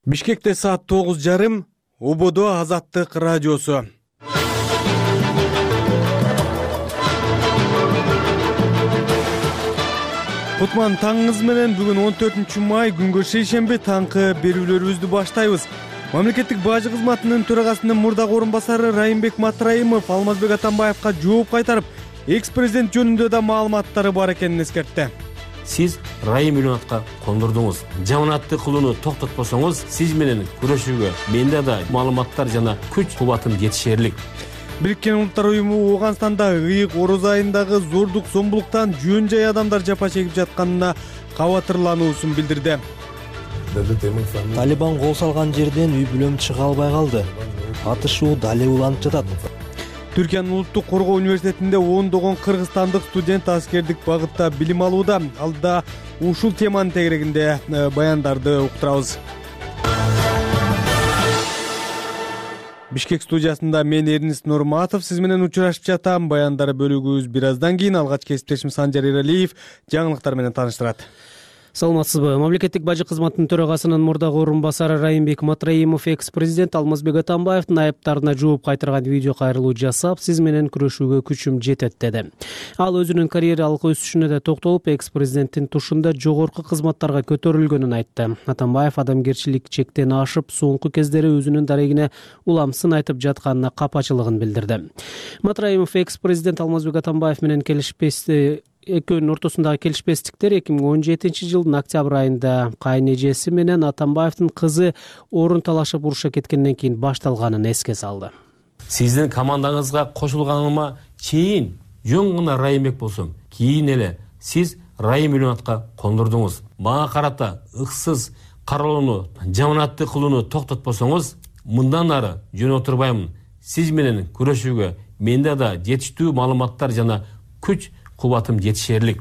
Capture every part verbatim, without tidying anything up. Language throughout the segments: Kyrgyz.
Бишкекте саат тогуз жарым, Ободо Азаттык радиосу. Кутман таңыңыз менен. Бүгүн он төртүнчү май күнгө шейшемби таңкы берүүлөрүбүздү баштайбыз. Мамлекеттик бажы кызматынын төрагасынын мурдагы орун басары Райымбек Матраимов Алмазбек Атамбаевка жооп кайтарып, экс-президент жөнүндө да маалыматтары бар экенин эскертти. Сиз Райым Ильяновго кондурдуңуз. Жаманатты кылууну токтотпосоңуз, сиз менен күрөшүүгө менде да маалыматтар жана күч кубатым жетишерлик. Бириккен Улуттар уюму Ооганстанда ыйык ороз айындагы зордук зомбулуктан жөн жай адамдар жапа чегип жатканына кабатырлануусун билдирди. Талибан кол салган жерден үй бүлөм чыга албай калды. Атышуу дале уланып жатат. Түркиянын Улуттук коргоо университетинде ондогон кыргызстандык студент аскердик багытта билим алууда. Алда ушул теманын тегерегинде баяндарды уктурабыз. Бишкек студиясында мен Эрнист Нурматов сиз менен учурашып жатам. Баяндары бөлүгүбүз бир аздан кийин. Алгач кесиптешим Санжар Эралиев жаңылыктар менен тааныштырат. Саламатсызбы? Мамлекеттик бажы кызматынын төрагасынын мурдагы орун басары Райымбек Матраимов экс-президент Алмазбек Атамбаевдин айыптарына жооп кайтарган видео кайрылуу жасап, сиз менен күрөшүүгө күчүм жетет деди. Ал өзүнүн карьералык өсүшүнө да токтолуп, экс-президенттин тушунда жогорку кызматтарга көтөрүлгөнүн айтты. Атамбаев адамгерчилик чектен ашып, соңку кездери өзүнүн дарегине улам сын айтып жатканына капачылыгын билдирди. Матраимов экс-президент Алмазбек Атамбаев менен келишпести экөөнүн ортосундагы келишпестиктер эки миң он жетинчи жылдын октябрь айында кайнэжеси менен Атамбаевдин кызы орун талашып уруша кеткенден кийин башталганын эске салды. Сиздин командаңызга кошулганыма чейин жөн гана Райымбек болсом, кийин эле сиз Райым Ильяновго кондурдуңуз. Мага карата ыксыз каралууну, жаманатты кылууну токтотпосоңуз, мындан ары жөн отурбаймын. Сиз менен күрөшүүгө менде да жетиштүү маалыматтар жана күч кубатым жетишерлик.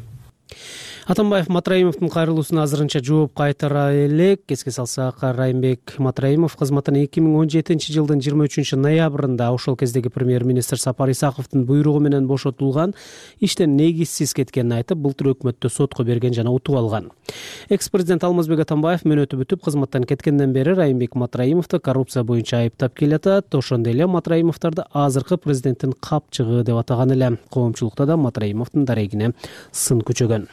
Атамбаев Матраимовдун кайрылуусуна азырынча жооп кайтара элек. Эске салсак, Райымбек Матраимов кызматтан эки миң он жетинчи жылдын жыйырма үчүнчү ноябрында ошол кездеги премьер-министр Сапар Исаковдун буйругу менен бошотулган, иштен негизсиз кеткенин айтып, былтыр өкмөттө сотко берген жана утуп алган. Экс-президент Алмазбек Атамбаев мөөнөтү бүтүп кызматтан кеткенден бери Райымбек Матраимовду коррупция боюнча айыптап келатат. Ошондой эле Матраимовдорду азыркы президенттин капчыгы деп атаган эле. Коомчулукта да Матраимовдун дарегине сын күчөгөн.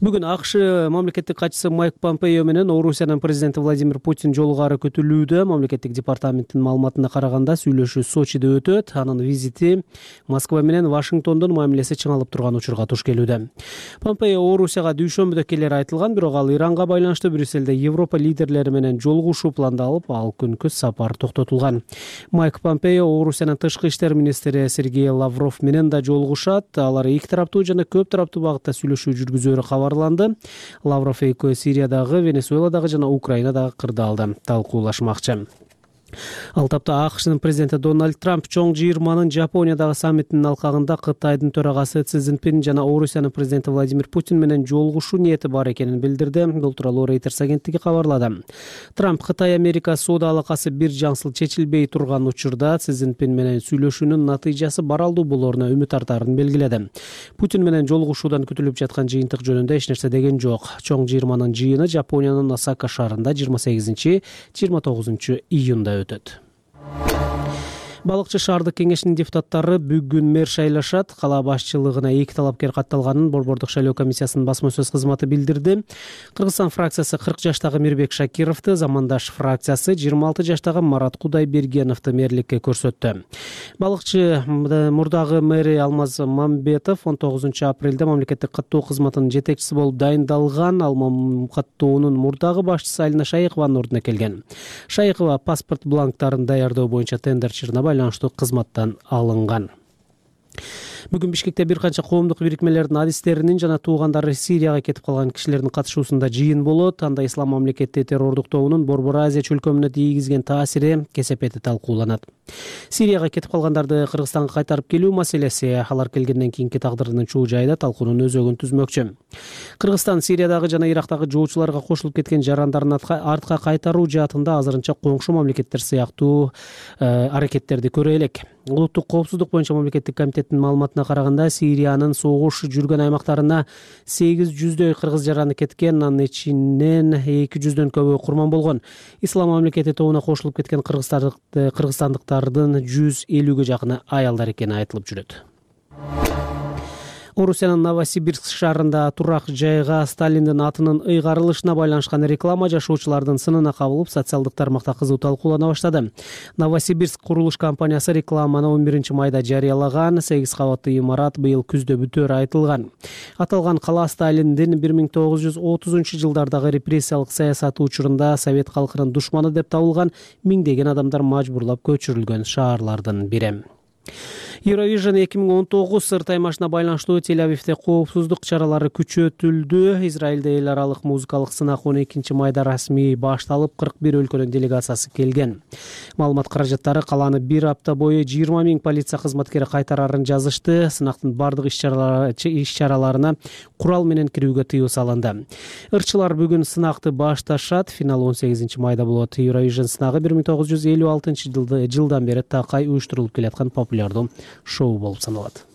Бүгүн АКШ мамлекеттик катчысы Майк Помпео менен Орусиянын президенти Владимир Путин жолугары күтүлүүдө. Мамлекеттик департаменттин маалыматына караганда сүйлөшүү Сочиде өтөт. Анын визити Москва менен Вашингтондун мамилеси чыңалып турган учурга туш келүүдө. Помпео Орусияга дүйшөмбүдө келери айтылган, бирок ал Иранга байланыштуу Брюссельде Европа лидерлери менен жолугушуу пландалып, ал күнкү сапар токтотулган. Майк Помпео Орусиянын тышкы иштер министри Сергей Лавров менен да жолугушат. Алар эки тараптуу жана көп тараптуу багытта сүйлөшүү жүргүзөөрү кабарланды. Лавров экөө Сириядагы, Венесуэладагы жана Украинадагы кырдаалды талкуулашмакчы. Ал тапта АКШнын президенти Дональд Трамп чоң жыйырманын Жапониядагы саммитинин алкагында Кытайдын төрагасы Си Цзиньпин жана Орусиянын президенти Владимир Путин менен жолугушуу ниети бар экенин билдирди. Бул тууралуу Reuters агенттиги кабарлады. Трамп Кытай-Америка соода алакасы бир жаңсыл чечилбей турган учурда Си Цзиньпин менен сүйлөшүүнүн натыйжасы баралдуу болоруна үмүт артаарын белгиледи. Путин менен жолугушуудан күтүлүп жаткан жыйынтык жөнүндө эч нерсе деген жок. Чоң жыйырманын жыйыны Жапониянын Осака шаарында жыйырма сегизинчи жыйырма тогузунчу июнда өтөт. Балыкчы шаардык кеңешинин депутаттары бүгүн мэр шайлашат. Кала башчылыгына эки талапкер катталганын Борбордук шайлоо комиссиясынын басма сөз кызматы билдирди. Кыргызстан фракциясы кырк жаштагы Мирбек Шакировду, Замандаш фракциясы жыйырма алты жаштагы Марат Кудайбергеновду мэрликке көрсөттү. Балыкчы мурдагы мэри Алмаз Мамбетов он тогузунчу апрелде мамлекеттик каттоо кызматынын жетекчиси болуп дайындалган. Ал каттоонун мурдагы башчысы Алина Шайыкованын ордуна келген. Шайыкова паспорт бланктарын даярдоо боюнча тендерчилине байланыштуу кызматтан алынган. Бүгүн Бишкекте бир канча коомдук бирикмелердин адистеринин жана туугандары Сирияга кетип калган кишилердин катышуусунда жыйын болот. Анда Ислам мамлекети террордуктоонун Борбор Азия чөлкөмүнө тийгизген таасири кесепети талкууланат. Сирияга кетип калгандарды Кыргызстанга кайтарып келүү маселеси алар келгенден кийинки тагдырынын чуу жайда талкуунун өзөгүн түзмөкчү. Кыргызстан Сириядагы жана Ирактагы жоочуларга кошулуп кеткен жарандарын артка кайтаруу жаатында азырынча коңшу мамлекеттер сыяктуу аракеттерди көрө элек. Улуттук коопсуздук боюнча мамлекеттик комитеттин маалыматына маалыматына караганда Сириянын согуш жүргөн аймактарына сегиз жүздөй кыргыз жараны кеткен, анын ичинен эки жүздөн көбү курман болгон. Ислам мамлекети тобуна кошулуп кеткен кыргызстандыктардын жүз элүүгө жакыны аялдар экени айтылып жүрөт. Орусиянын Новосибирск шаарында турак жайга Сталиндин атынын ыйгарылышына байланышкан реклама жашоочулардын сынына кабылып, социалдык тармакта кызуу талкуулана баштады. Новосибирск курулуш компаниясы рекламаны он биринчи майда жарыялаган. сегиз кабаттуу имарат быйыл күздө бүтөөрү айтылган. Аталган кала Сталиндин бир миң тогуз жүз отузунчу жылдардагы репрессиялык саясаты учурунда совет калкынын душманы деп табылган миңдеген адамдар мажбурлап көчүрүлгөн шаарлардын бири. Eurovision эки миң он тогуз сырт аймашына байланыштуу Тель-Авивде коопсуздук чаралары күчөтүлдү. Израилде эл аралык музыкалык сынак он экинчи майда расмий башталып, кырк бир өлкөнүн делегациясы келген. Маалымат каражаттары каланы бир апта бою жыйырма миң полиция кызматкери кайтарарын жазышты. Сынактын бардык иш-чараларына курал менен кирүүгө тыюу салынды. Ырчылар бүгүн сынакты башташат. Финал он сегизинчи майда болот. Eurovision сынагы бир миң тогуз жүз элүү алтынчы жылдан бери такай уюштурулуп келаткан популярдуу шоу болуп саналат.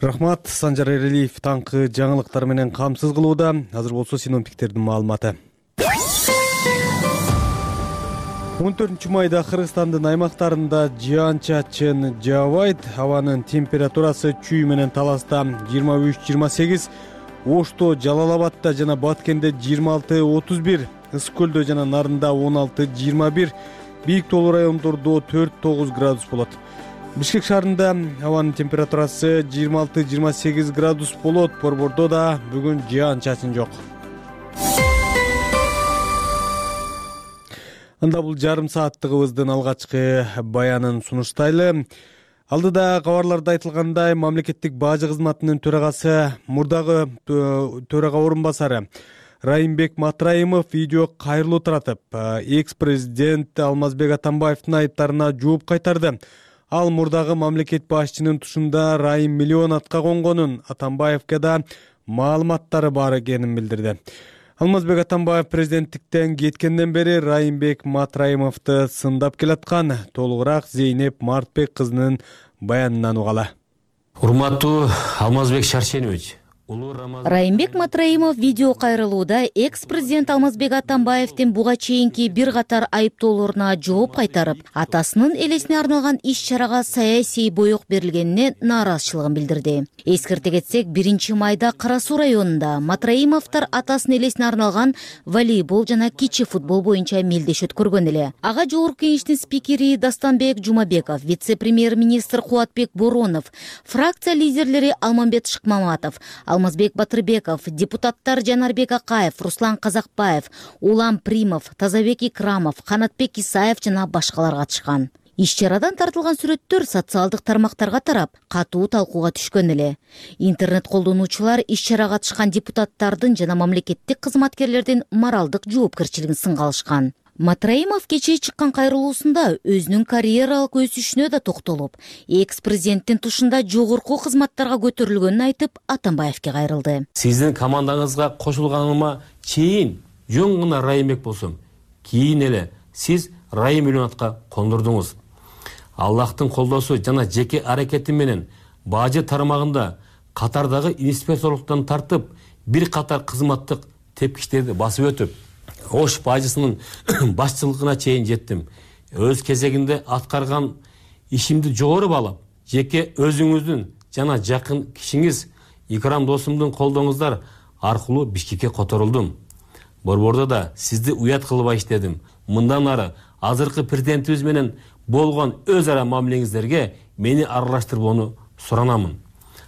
Рахмат, Санжар Эрелиев таңкы жаңылыктар менен камсыз кылууда. Азыр болсо синоптиктердин маалыматы. он төртүнчү майда Кыргызстандын аймактарында жаан-чачын жаабайт. Абанын температурасы Чүй менен Таласта жыйырма үч жыйырма сегиз, Ошто, Жалал-Абадта жана Баткенде жыйырма алты отуз бир, Ысык көлдө жана Нарында он алты жыйырма бир, Бийик тоолуу райондордо төрт тогуз градус болот. Бишкек шаарында абанын температурасы жыйырма алты жыйырма сегиз градус болот. Борбордо да бүгүн жаан-чачын жок. Анда бул жарым сааттыгыбыздын алгачкы баянын сунуштайлы. Алдыда кабарларда айтылгандай, мамлекеттик бажы кызматынын төрагасы, мурдагы төрага орун басары Райымбек Матраимов видео кайрылуу таратып, экс-президент Алмазбек Атамбаевдин айыптарына жооп кайтарды. Ал мурдагы мамлекет башчынын тушунда Райым миллион атка конгонун, Атамбаевге да маалыматтары бар экенин билдирди. Алмазбек Атамбаев президенттиктен кеткенден бери Райымбек Матраимовду сындап келаткан. Толугураак Зейнеп Мартбек кызынын баянынан угалы. Урматтуу Алмазбек Шаршенович, Райымбек Матраимов видео кайрылууда экс-президент Алмазбек Атамбаевдин буга чейинки бир катар айыптоолоруна жооп кайтарып, атасынын элесине арналган иш-чарага саясий боек берилгенине нааразычылыгын билдирди. Эскерте кетсек, биринчи майда Кара Суу районунда Матраимовдор атасынын элесине арналган волейбол жана кичи футбол боюнча мелдеш өткөргөн эле. Ага жогорку кеңештин спикери Дастанбек Жумабеков, вице-премьер-министр Кубатбек Боронов, фракция лидерлери Алмамбет Шыкмаматов, Алмазбек Батырбеков, депутаттар Жанарбек Акаев, Руслан Казакбаев, Улам Примов, Тазабек Икрамов, Канатбек Исаев жана башкалар катышкан. Иш-чарадан тартылган сүрөттөр социалдык тармактарга тарап, катуу талкууга түшкөн эле. Интернет колдонуучулар иш-чарага катышкан депутаттардын жана мамлекеттик кызматкерлердин моралдык жоопкерчилигин сынга алышкан. Матраимов кечээ чыккан кайрылуусунда өзүнүн карьералык өсүшүнө да токтолуп, экс-президенттин тушунда жогорку кызматтарга көтөрүлгөнүн айтып, Атамбаевге кайрылды. Сиздин командаңызга кошулганыма чейин жөн гана Райымбек болсом, кийин эле сиз Райым миллион атка кондурдуңуз. Аллахтын колдоосу жана жеке аракети менен бажы тармагында катардагы инспекторлуктан тартып, бир катар кызматтык тепкичтерди басып өтүп, Ош бажысынын башчылыгына чейин жеттим. Өз кезегинде аткарган ишимди жогору баалап, жеке өзүңүздүн жана жакын кишиңиз Икрам досумдун колдооңуздар аркылуу Бишкекке которулдум. Борбордо да сизди уят кылбай иштедим. Мындан ары азыркы президентибиз менен болгон өз ара мамилеңиздерге мени аралаштырбоону суранамын.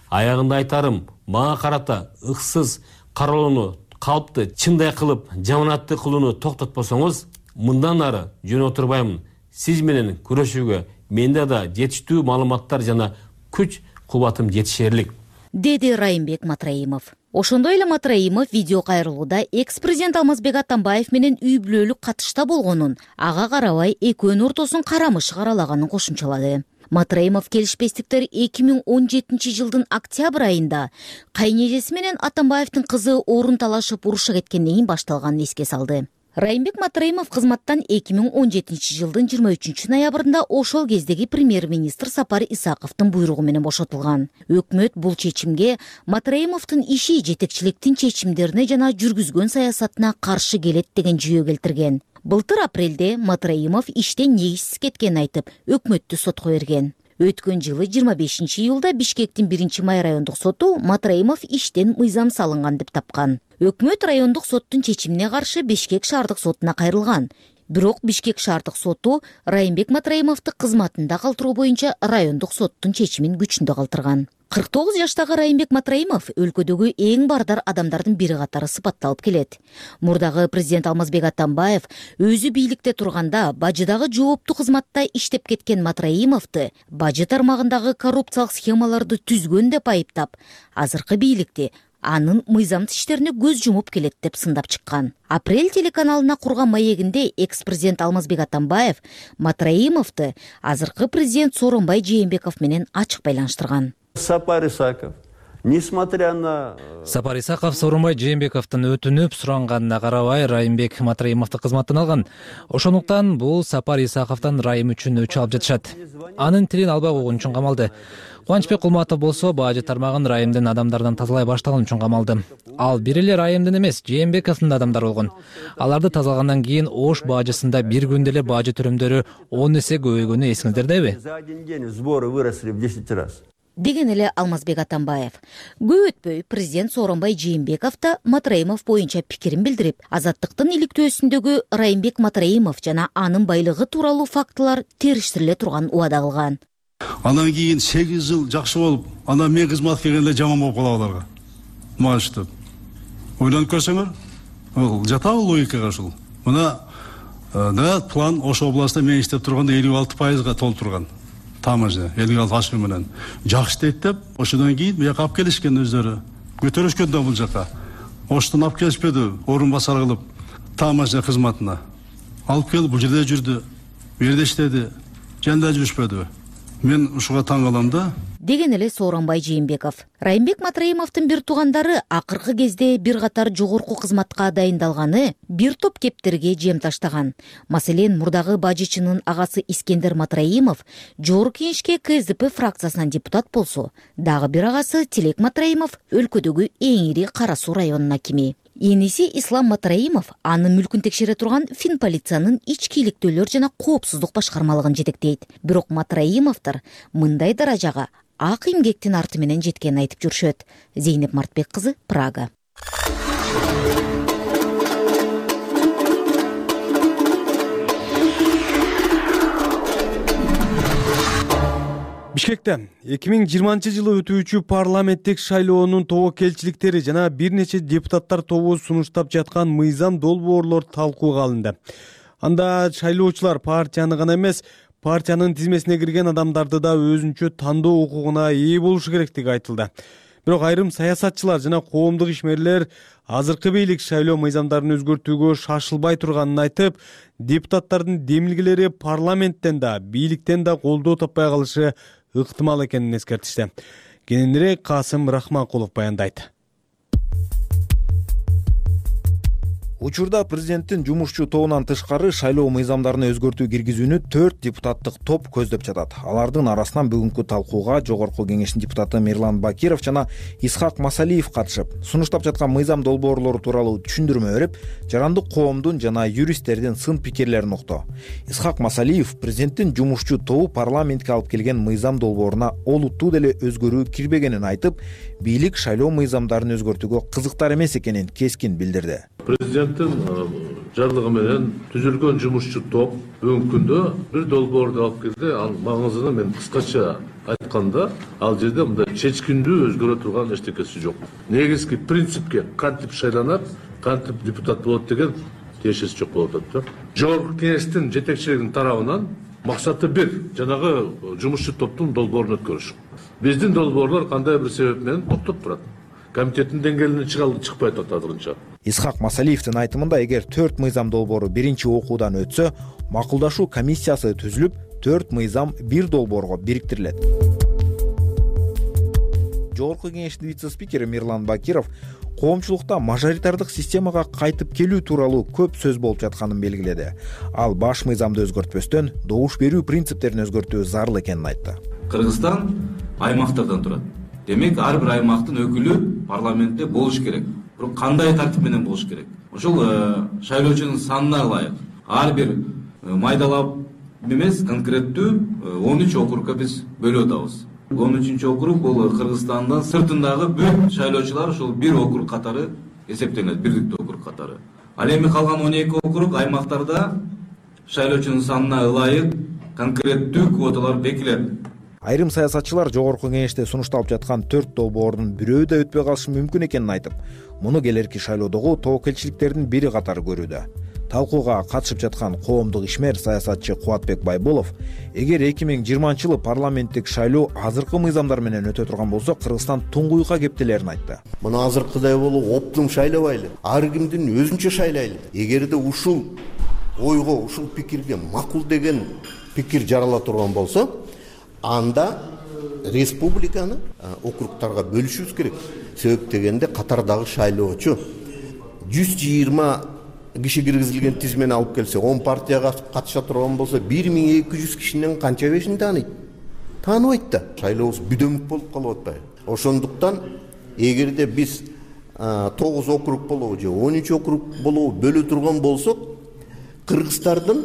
Аягында айтарым, мага карата ыксыз каралууну, калпты чындай кылып, жаманатты кылууну токтотпосоңуз, мындан ары жөн отурбаймын. Сиз менен күрөшүүгө менде да жетиштүү маалыматтар жана күч кубатым жетишерлик, деди Райымбек Матраимов. Ошондой эле Матраимов видео кайрылууда экс-президент Алмазбек Атамбаев менен үй бүлөлүк катышта болгонун, ага карабай экөөнүн ортосун карамыш каралаганын кошумчалады. Матраимов келишпестиктер эки миң он жетинчи жылдын октябрь айында кайнежеси менен Атамбаевдин кызы орун талашып урушка кеткенден кийин башталганын эске салды. Райымбек Матраимов кызматтан эки миң он жетинчи жылдын жыйырма үчүнчү ноябрында ошол кездеги премьер-министр Сапар Исаковдун буйругу менен бошотулган. Өкмөт бул чечимге Матраимовдун иши, жетекчиликтин чечимдерине жана жүргүзгөн саясатына каршы келет деген жүйө келтирген. Былтыр апрелде Матраимов иштен негизсиз кеткенин айтып, өкмөттү сотко берген. Өткөн жылы жыйырма бешинчи июлда Бишкектин биринчи май райондук соту Матраимов иштен мыйзам салынган деп тапкан. Өкмөт райондук соттун чечимине каршы Бишкек шаардык сотуна кайрылган. Бирок Бишкек шаардык соту Райымбек Матраимовду кызматында калтыруу боюнча райондук соттун чечимин күчүндө калтырган. кырк тогуз жаштагы Райымбек Матраимов өлкөдөгү эң бардар адамдардын бири катары сыпатталып келет. Мурдагы президент Алмазбек Атамбаев өзү бийликте турганда бажыдагы жооптуу кызматта иштеп кеткен Матраимовду бажы тармагындагы коррупциялык схемаларды түзгөн деп айыптап, азыркы бийликте анын мыйзамсыз иштерине көз жумуп келет деп сындап чыккан. Апрель телеканалына курган маегинде экс-президент Алмазбек Атамбаев Матраимовду азыркы президент Сооронбай Жээнбеков менен ачык байланыштырган. Сапар Исаков, несмотря на... Сапар Исаков Сооронбай Жээнбековдун өтүнүп суранганына карабай Райымбек Матраимовду кызматтан алган. Ошондуктан бул Сапар Исаковдон Райым үчүн өчү алып жатышат. Анын тилин албай койгон үчүн камалды. Кубанычбек Кулматов болсо бажы тармагын Райымдын адамдардан тазалай баштаган үчүн камалды. Ал бир эле Райымдын эмес, Жээнбековдун адамдары болгон. Аларды тазалагандан кийин Ош бажысында бир күндө эле бажы төрөмдөрү он эсе көбөйгөнү эсиңиздердеби? За один день сборы выросли в десять раз. Деген эле Алмазбек Атамбаев. Көп өтпөй президент Сооронбай Жээнбеков да Матраимов боюнча пикирин билдирип, азаттыктын иликтөөсүндөгү Райымбек Матраимов жана анын байлыгы тууралуу фактылар териштириле турган убада кылган. Андан кийин сегиз жыл жакшы болуп, андан мен кызмат келгенде жаман болуп калат аларга. Маштып. Ойлонуп көрсөңөр, бул жатабы логикага ушул. Мына да план Ош областында мен иштеп турганда элүү алты пайызга толуп турган. Тамажы, элүү алты ашуу менен жакшы дейт деп, ошондон кийин бияка алып келишкен өздөрү. Көтөрүшкөн да бул жака. Оштон алып келишпеди, орун басар кылып, тамажы кызматына. Алып келип бул жерде жүрдү, бу жерде иштеди, жанда жүрүшпөдү. Мен ушуга таң калам да. Деген эле Сооронбай Жээнбеков. Райымбек Матраимовдун бир туугандары акыркы кезде бир катар жогорку кызматка дайындалганы бир топ кептерге жем таштаган. Маселен, мурдагы бажычынын агасы Искендер Матраимов жогорку кеңешке Ка Эс Де Пе фракциясынан депутат болсо, дагы бир агасы Тилек Матраимов өлкөдөгү эң ири Кара Суу районунун акими. Эниси Ислам Матраимов анын мүлкүн текшере турган Финполициянын ички иликтөөлөр жана коопсуздук башкармалыгын жетектейт. Бирок Матраимовдор мындай даражага ак эмгектин арты менен жеткенин айтып жүрүшөт. Зейнеп Мартбек кызы, Прага. Бишкекте эки миң жыйырманчы жылы өтүүчү парламенттик шайлоонун тобокелчиликтери жана бир нече депутаттар тобу сунуштап жаткан мыйзам долбоорлор талкууга алынды. Анда шайлоочулар партияны гана эмес, партиянын тизмесине кирген адамдарды да өзүнчө тандоо укугуна ээ болушу керектиги айтылды. Бирок айрым саясатчылар жана коомдук ишмерлер азыркы бийлик шайлоо мыйзамдарын өзгөртүүгө шашылбай турганын айтып, депутаттардын демилгелери парламенттен да, бийликтен да колдоо таппай калышы ыктымал экенин эскертишти. Кененирээк Касым Рахманкулов баяндайт. Учурда президенттин жумушчу тобунан тышкары шайлоо мыйзамдарын өзгөртүү киргизүүнү төрт депутаттык топ көздөп жатат. Алардын арасынан бүгүнкү талкууга жогорку кеңештин депутаты Мирлан Бакиров жана Исхак Масалиев катышып, сунуштап жаткан мыйзам долбоорлору тууралуу түшүндүрмө берип, жарандык коомдун жана юристтердин сын пикирлерин укту. Исхак Масалиев президенттин жумушчу тобу парламентке алып келген мыйзам долбооруна олуттуу деле өзгөрүү кирбегенин айтып, бийлик шайлоо мыйзамдарын өзгөртүүгө кызыктар эмес экенин кескин билдирди. Президенттин жарлыгы менен түзүлгөн жумушчу топ бүгүнкү күндө бир долбоорду алып келди. Ал маңызын мен кыскача айтканда, ал жерде мындай чечкиндүү өзгөрө турган эчтекеси жок. Негизги принципке кантип шайланат, кантип депутат болот деген тиешеси жок болуп атат. Жогорку кеңештин жетекчилигинин тарабынан максаты бир, жанагы жумушчу топтун долбоорун өткөрүш. Биздин долбоорлор кандай бир себеп менен токтоп турат. Комитеттин деңгээлине чыгалды, чыкпай атат азырынча. Исхак Масалиевдин айтымында, эгер төрт мыйзам долбоору биринчи окуудан өтсө, макулдашуу комиссиясы түзүлүп, төрт мыйзам бир долбоорго бириктирилет. Жогорку кеңештин вице-спикери Мирлан Бакиров коомчулукта мажоритардык системага кайтып келүү тууралуу көп сөз болуп жатканын белгиледи. Ал баш мыйзамды өзгөртпөстөн добуш берүү принциптерин өзгөртүү зарыл экенин айтты. Кыргызстан аймактардан турат. Демек, ар бир аймактын өкүлү парламентте болуш керек. Бирок кандай тартип менен болуш керек? Ошол шайлоочунун санына ылайык ар бир майдалап эмес, конкреттүү он үч округга биз бөлүп атабыз. он үчүнчү округ бул Кыргызстандын сыртындагы бүт шайлоочулар ушул бир округ катары эсептелет, бирдиктүү округ катары. Ал эми калган он эки округ аймактарда шайлоочунун санына ылайык конкреттүү квоталар бекилет. Айрым саясатчылар жогорку кеңеште сунушталып жаткан төрт долбоордун бирөө да өтпөй калышы мүмкүн экенин айтып, муну келерки шайлоодогу тобокелчиликтердин бири катары көрүүдө. Талкууга катышып жаткан коомдук ишмер саясатчы Кубатбек Байболов, эгер эки миң жыйырманчы жылы парламенттик шайлоо азыркы мыйзамдар менен өтө турган болсо, Кыргызстан туңгуюкка кептелерин айтты. Муну азыркыдай болуп оптум шайлабайлы, ар кимдин өзүнчө шайлайлы. Эгерде ушул ойго, ушул пикирге макул деген пикир жарала турган болсо, анда республиканы округтарга бөлүшүбүз керек. Себеп дегенде катардагы шайлоочу жүз жыйырма киши киргизилген тизмени алып келсе, он партияга катыша турган болсо, бир миң эки жүз кишинин канча бешин тааныйт? Тааныбайт да. Шайлообуз бүдөмүк болуп калып атпайбы? Ошондуктан эгерде биз тогуз округ болобу же он үч округ болобу бөлө турган болсок, кыргыздардын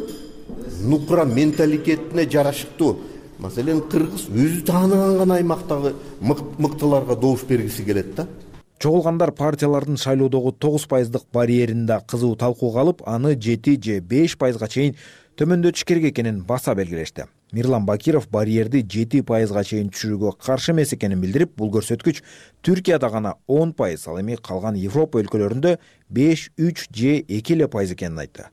нукра менталитетине жарашыктуу, маселен, кыргыз өзү тааныган гана аймактагы мыктыларга добуш бергиси келет да. Чогулгандар партиялардын шайлоодогу тогуз пайыздык барьерин да кызуу талкууга алып, аны жети же беш пайызга чейин төмөндөтүш керек экенин баса белгилешти. Мирлан Бакиров барьерди жети пайызга чейин түшүрүүгө каршы эмес экенин билдирип, бул көрсөткүч Түркияда гана он пайыз, ал эми калган Европа өлкөлөрүндө беш, үч же эки эле пайыз экенин айтты.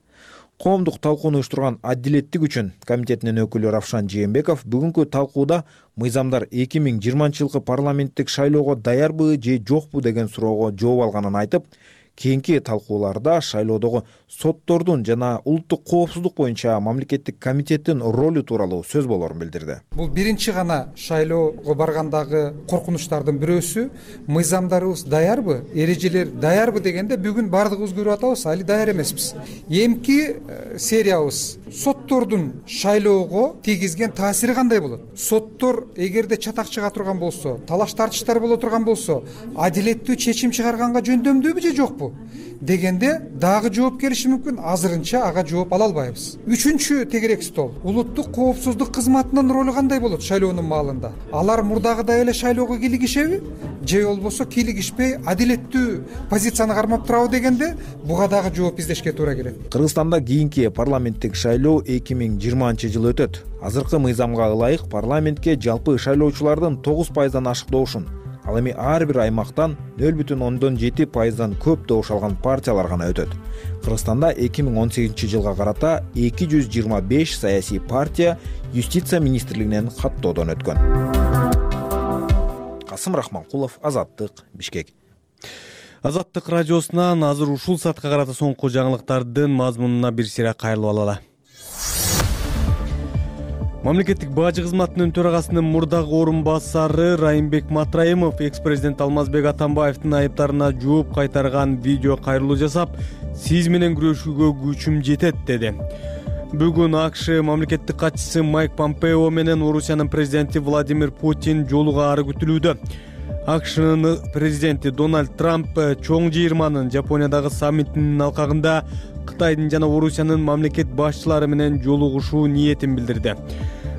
Коомдук талкууну уюштурган Адилеттик үчүн комитетинин өкүлү Равшан Жээнбеков бүгүнкү талкууда мыйзамдар эки миң жыйырманчы жылкы парламенттик шайлоого даярбы же жокпу деген суроого жооп алганын айтып, кийинки талкууларда шайлоодогу соттордун жана улуттук коопсуздук боюнча мамлекеттик комитеттин ролу тууралуу сөз болорун билдирди. Бул биринчи гана шайлоого баргандагы коркунучтардын бирөөсү. Мыйзамдарыбыз даярбы, эрежелер даярбы дегенде бүгүн бардыгыбыз көрүп атабыз, али даяр эмеспиз. Эмки сериябыз соттордун шайлоого тийгизген таасири кандай болот? Соттор эгерде чатак чыга турган болсо, талаш тартыштар боло турган болсо, адилеттүү чечим чыгарганга жөндөмдүүбү же жокпу дегенде дагы жооп келиши мүмкүн. Азырынча ага жооп ала албайбыз. Үчүнчү тегерек стол. Улуттук коопсуздук кызматынын ролу кандай болот шайлоонун маалында? Алар мурдагыдай эле шайлоого кийлигишеби же болбосо кийлигишпей адилеттүү позицияны кармап турабы дегенде буга дагы жооп издешке туура келет. Кыргызстанда кийинки парламенттик шайлоо эки миң жыйырманчы жылы өтөт. Азыркы мыйзамга ылайык парламентке жалпы шайлоочулардын тогуз пайыздан ашык добушун, ал эми ар бир аймактан нөл бүтүн ондон жети пайыздан көп добуш алган партиялар гана өтөт. Кыргызстанда эки миң он сегизинчи жылга карата эки жүз жыйырма беш саясий партия юстиция министрлигинен каттоодон өткөн. Касым Рахманкулов, Азаттык, Бишкек. Азаттык радиосунан азыр ушул саатка карата соңку жаңылыктардын мазмунуна бир сыйра кайрылып алалы. Мамлекеттик бажы кызматынын төрагасынын мурдагы орун басары Райымбек Матраимов экс-президент Алмазбек Атамбаевдин айыптарына жооп кайтарган видео кайрылуу жасап, сиз менен күрөшүүгө күчүм жетет деди. Бүгүн АКШ мамлекеттик катчысы Майк Помпео менен Орусиянын президенти Владимир Путин жолугаары күтүлүүдө. АКШнын президенти Дональд Трамп чоң жыйырманын Жапониядагы саммитинин алкагында Кытайдын жана Орусиянын мамлекет башчылары менен жолугушуу ниетин билдирди.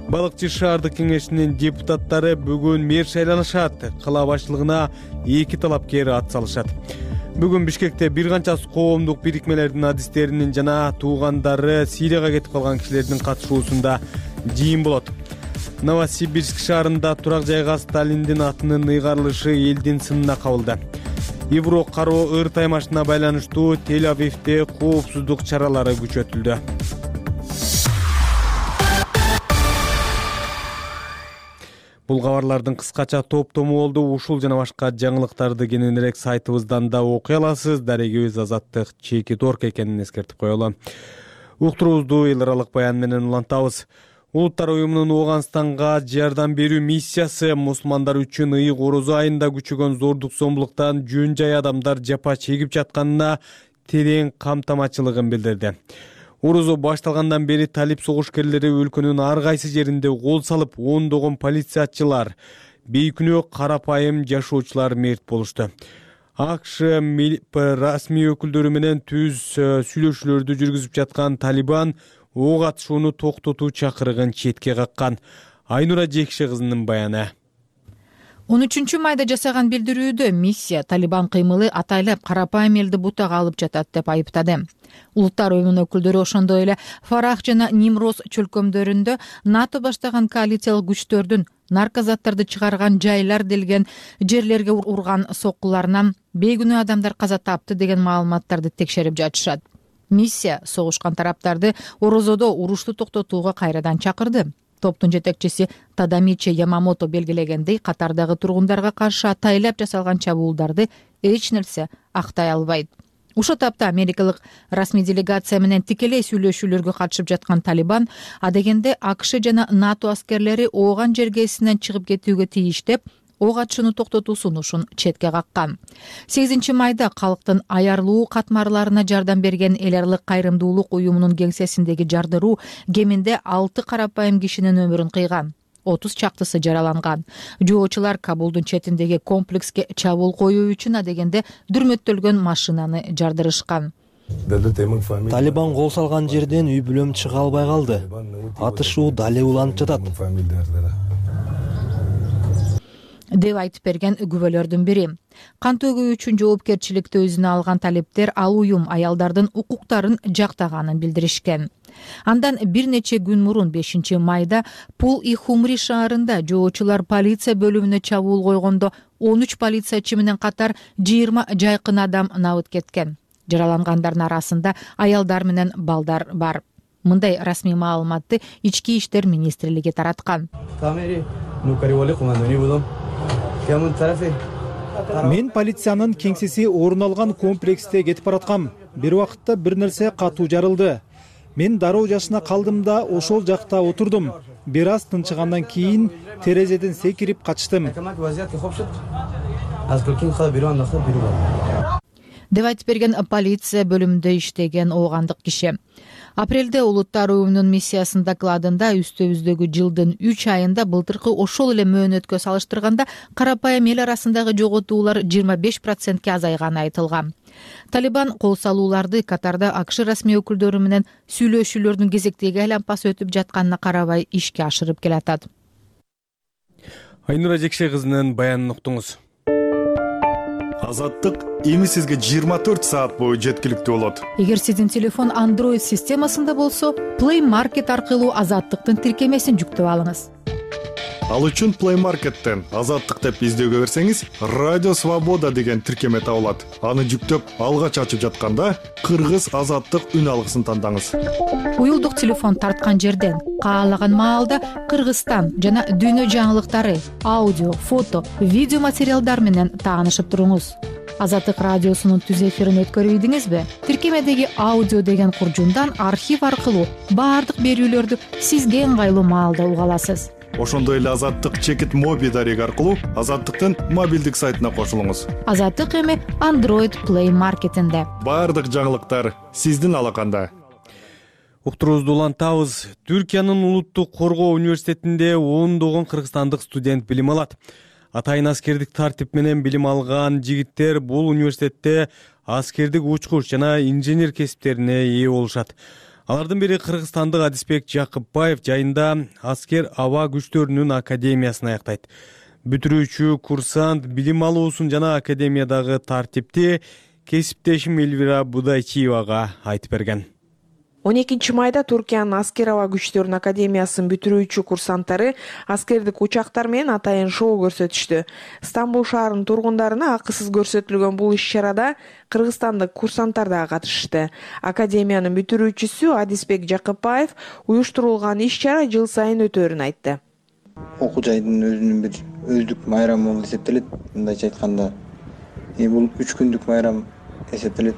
Балыкчы шаардык кеңешинин депутаттары бүгүн мэр шайланышат. Кала башчылыгына эки талапкер ат салышат. Бүгүн Бишкекте бир канча коомдук бирикмелердин адистеринин жана туугандары Сирияга кетип калган кишилердин катышуусунда жыйын болот. Новосибирск шаарында турак жайга Сталиндин атынын ыйгарылышы элдин сынына кабылды. Евро кароо ыр таймашына байланыштуу Тель-Авивде коопсуздук чаралары күчөтүлдү. Бул кабарлардын кыскача топтому болду. Ушул жана башка жаңылыктарды кененирээк сайтыбыздан да окуй аласыз. Дарегибиз Азаттык чеки торк экенин эскертип коелу. Уктуруубузду эл аралык баян менен улантабыз. Улуттар уюмунун Ооганстанга жардам берүү миссиясы мусулмандар үчүн ыйык орозо айында күчөгөн зордук зомбулуктан жөн жай адамдар жапа чегип жатканына терең камтамачылыгын билдирди. Орозо башталгандан бери талип согушкерлери өлкөнүн ар кайсы жеринде кол салып, ондогон полициячылар, бейкүнөө карапайым жашоочулар мерт болушту. АКШ расмий өкүлдөрү менен түз сүйлөшүүлөрдү жүргүзүп жаткан Талибан ок атышууну токтотуу чакырыгын четке каккан. Айнура Жекше кызынын баяны. он үчүнчү майда жасаган билдирүүдө миссия Талибан кыймылы атайлап карапайым элди бутага алып жатат деп айыптады. Улуттар уюмунун өкүлдөрү ошондой эле Фарах жана Нимроз чөлкөмдөрүндө НАТО баштаган коалициялык күчтөрдүн наркозаттарды чыгарган жайлар делген жерлерге урган соккуларынан бейкүнөө адамдар каза тапты деген маалыматтарды текшерип жатышат. Миссия согушкан тараптарды Орозодо урушту токтотууга кайрадан чакырды. Топтун жетекчиси Тадамичи Ямамото белгилегендей, катардагы тургундарга каршы атайлап жасалган чабуулдарды эч нерсе актай албайт. Ошо тапта америкалык расмий делегация менен тикелей сүйлөшүүлөргө катышып жаткан Талибан адегенде АКШ жана НАТО аскерлери ооган жергесинен чыгып кетүүгө тийиш деп ок атышууну токтотуу сунушун четке каккан. сегизинчи майда калктын аярлуу катмарларына жардам берген эл аралык кайрымдуулук уюмунун кеңсесиндеги жардыруу кеминде алты карапайым кишинин өмүрүн кыйган. отуз чактысы жараланган. Жоочулар Кабулдун четиндеги комплекске чабуул коюу үчүн адегенде дүрмөттөлгөн машинаны жардырышкан. Талибан кол салган жерден үй бүлөм чыга албай калды. Атышуу дале уланып жатат деп айтып берген күбөлөрдүн бири. Кан төгүү үчүн жоопкерчиликти өзүнө алган талиптер ал уюм аялдардын укуктарын жактаганын билдиришкен. Андан бир нече күн мурун бешинчи майда Пул и Хумри шаарында жоочулар полиция бөлүмүнө чабуул койгондо он үч полициячы менен катар жыйырма жайкын адам набыт кеткен. Жаралангандардын арасында аялдар менен балдар бар. Мындай расмий маалыматты Ички иштер министрлиги тараткан. Мен полициянын кеңсеси орун алган комплексте кетип бараткам. Бир убакытта бир нерсе катуу жарылды. Мен дароо жашына калдым да ошол жакта отурдум. Бир аз тынчыгандан кийин терезеден секирип качтым. деп айтып берген полиция бөлүмүндө иштеген оогандык киши. Апрелде Улуттар уюмунун миссиясынын докладында үстөбүздөгү жылдын үч айында былтыркы ошол эле мөөнөткө салыштырганда карапайым эл арасындагы жоготуулар жыйырма беш процентке азайганы айтылган. Талибан кол салууларды катарда АКШ расмий өкүлдөрү менен сүйлөшүүлөрдүн кезектеги айланпасы өтүп жатканына карабай ишке ашырып келатат. Айнура Жекше кызынын баянын уктуңуз. Азаттык эми сизге жыйырма төрт саат бою жеткиликтүү болот. Эгер сиздин телефон Android системасында болсо, Play Market аркылуу Азаттыктын тиркемесин жүктөп алыңыз. Ал үчүн Play Market'тен Азаттык деп издөөгө берсеңиз, Радио Свобода деген тиркеме табылат. Аны жүктөп, алгач ачып жатканда Кыргыз Азаттык үн алгысын тандаңыз. Уюлдук телефон тарткан жерден каалаган маалда Кыргызстан жана дүйнө жаңылыктары, аудио, фото, видео материалдар менен таанышып туруңуз. Азаттык радиосунун түз эфирин өткөрүп ийдиңизби? Тиркемедеги аудио деген куржундан архив аркылуу баардык берүүлөрдү сизге ыңгайлуу маалда уга аласыз. Ошондой эле Азаттык чекит моби дареги аркылуу Азаттыктын мобилдик сайтына кошулуңуз. Азаттык эми Android Play Market'инде. Баардык жаңылыктар сиздин алаканда. Уктуруубузду улантабыз. Түркиянын улуттук коргоо университетинде ондогон кыргызстандык студент билим алат. Атайын аскердик тартип менен билим алган жигиттер бул университетте аскердик учкуч жана инженер кесиптерине ээ болушат. Алардын бири кыргызстандык Адисбек Жакыпбаев жайында аскер аба күчтөрүнүн академиясын аяктайт. Бүтүрүүчү курсант билим алуусун жана академиядагы тартипти кесиптешим Элвира Будайчиевага айтып берген. он экинчи майда Туркиянын аскер аба күчтөрүнүн академиясын бүтүрүүчү курсанттары аскердик учактар менен атайын шоу көрсөтүштү. Стамбул шаарынын тургундарына акысыз көрсөтүлгөн бул иш-чарада кыргызстандык курсанттар да катышты. Академиянын бүтүрүүчүсү Адисбек Жакыпбаев уюштурулган иш-чара жыл сайын өтөөрүн айтты. Окуу жайдын өзүнүн бир өздүк майрамы болуп эсептелет. Мындайча айтканда, бул үч күндүк майрам эсептелет.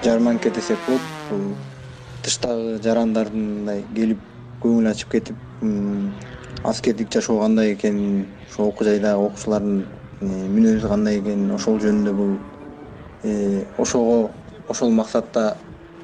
Жарманке десек болот. Бул тыштагы жарандардын мындай келип көңүл ачып кетип, аскердик жашоо кандай экенин, ошол окуу жайдагы окуучулардын мүнөзү кандай экенин, ошол жөнүндө бул ошого ошол максатта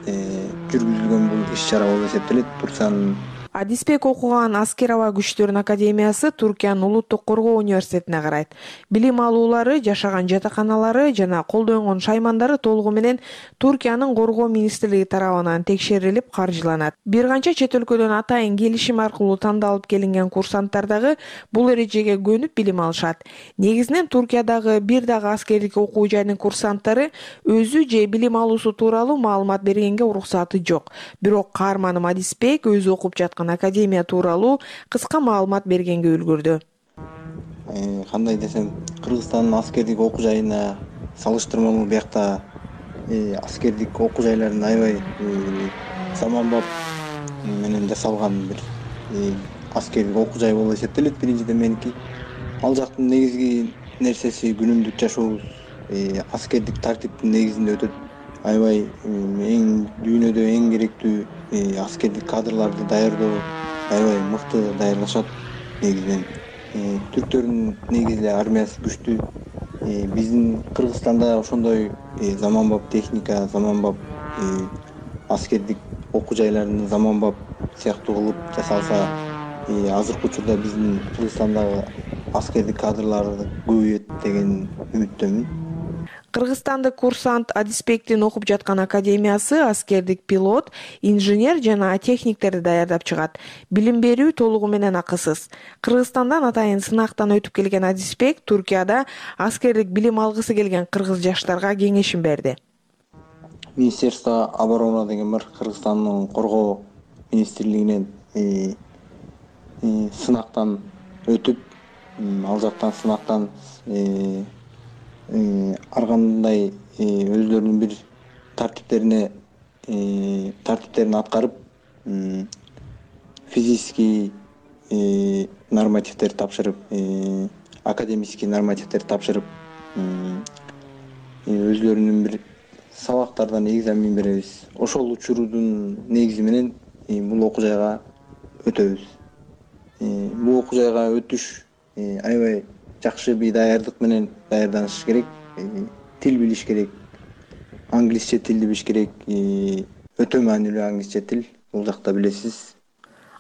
жүргүзүлгөн бул иш чара болуп эсептелет. Турциянын Адисбек окуган Аскер аба күчтөрүнүн академиясы Туркиянын Улуттук коргоо университетине карайт. Билим алуулары, жашаган жатаканалары жана колдонгон шаймандары толугу менен Туркиянын коргоо министрлиги тарабынан текшерилип каржыланат. Бир канча чет өлкөдөн атайын келишим аркылуу тандалып келинген курсанттар дагы бул эрежеге көнүп билим алышат. Негизинен Туркиядагы бир дагы аскердик окуу жайынын курсанттары өзү же билим алуусу тууралуу маалымат бергенге уруксаты жок. Бирок каарманым Адисбек өзү окуп жаткан академия тууралуу кыска маалымат бергенге үлгүрдү. Кандай десем, Кыргызстандын аскердик окуу жайына салыштырмалуу биякта аскердик окуу жайларын аябай заманбап менен жасалган бир аскердик окуу жай болуп эсептелет. Биринчиден меники ал жактын негизги нерсеси күнүмдүк жашообуз аскердик тартиптин негизинде өтөт. Аябай эң дүйнөдө эң керектүү аскердик кадрларды даярдоо аябай мыкты даярдашат. Негизинен түрктөрдүн негизи армиясы күчтүү. Биздин Кыргызстанда ошондой заманбап техника, заманбап аскердик окуу жайларын заманбап сыяктуу кылып жасалса, азыркы учурда биздин Кыргызстандагы аскердик кадрлар көбөйөт деген үмүттөмүн. Кыргызстандык курсант Адисбектин окуп жаткан академиясы аскердик пилот, инженер жана техниктерди даярдап чыгат. Билим берүү толугу менен акысыз. Кыргызстандан атайын сынактан өтүп келген Адисбек Туркияда аскердик билим алгысы келген кыргыз жаштарга кеңешин берди. Министерство обороны деген бар, Кыргызстандын коргоо министрлигинен сынактан өтүп, ал жактан сынактан ар кандай өзлөрүнүн бир тартиптерине тартиптерин аткарып, физический нормативдер тапшырып, академический нормативдер тапшырып, өзлөрүнүн бир сабактардан экзамен беребиз. Ошол учурдун негизи менен бул окуу жайга өтөбүз. Бул окуу жайга өтүш аябай жакшы бир даярдык менен даярданыш керек. Тил билиш керек. Англисче тилди билиш керек. Өтө маанилүү англисче тил. Бул жакта билесиз.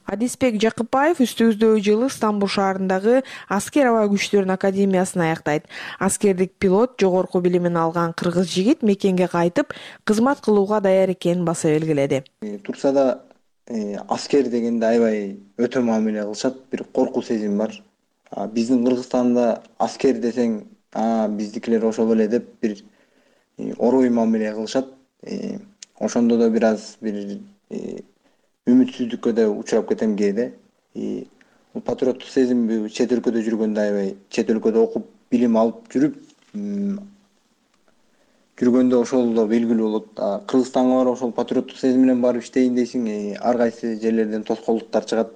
Адисбек Жакыпбаев үстүбүздөгү жылы Стамбул шаарындагы Аскер аба күчтөрүнүн академиясын аяктайт. Аскердик пилот жогорку билимин алган кыргыз жигит мекенге кайтып, кызмат кылууга даяр экенин баса белгиледи. Турцияда аскер дегенде аябай өтө мамиле кылышат, бир коркуу сезим бар. Биздин Кыргызстанда аскер десең, биздикилер ошол эле деп бир орой мамиле кылышат. Ошондо да бир аз бир үмүтсүздүккө да учурап кетем кээде. Бул патриоттук сезим чет өлкөдө жүргөндө аябай, чет өлкөдө окуп, билим алып жүрүп, жүргөндө ошол да белгилүү болот. Кыргызстанга барып ошол патриоттук сезим менен барып иштейин дейсиң, ар кайсы жерлерден тоскоолдуктар чыгат.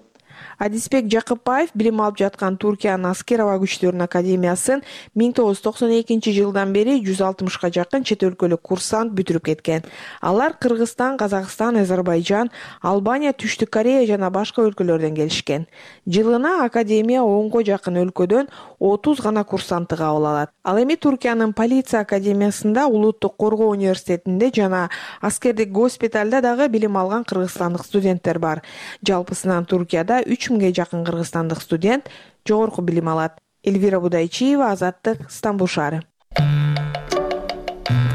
Адисбек Жакыпбаев билим алып жаткан Туркиянын Аскер аба күчтөрүнүн академиясын миң тогуз жүз токсон экинчи жылдан бери жүз алтымышка жакын чет өлкөлүк курсант бүтүрүп кеткен. Алар Кыргызстан, Казакстан, Азербайжан, Албания, Түштүк Корея жана башка өлкөлөрдөн келишкен. Жылына академия онго жакын өлкөдөн отуз гана курсантты кабыл алат. Ал эми Туркиянын полиция академиясында, Улуттук коргоо университетинде жана аскердик госпиталда дагы билим алган кыргызстандык студенттер бар. Жалпысынан Туркияда үч миңге жакын кыргызстандык студент жогорку билим алат. Элвира Будайчиева, Азаттык, Стамбул шаары.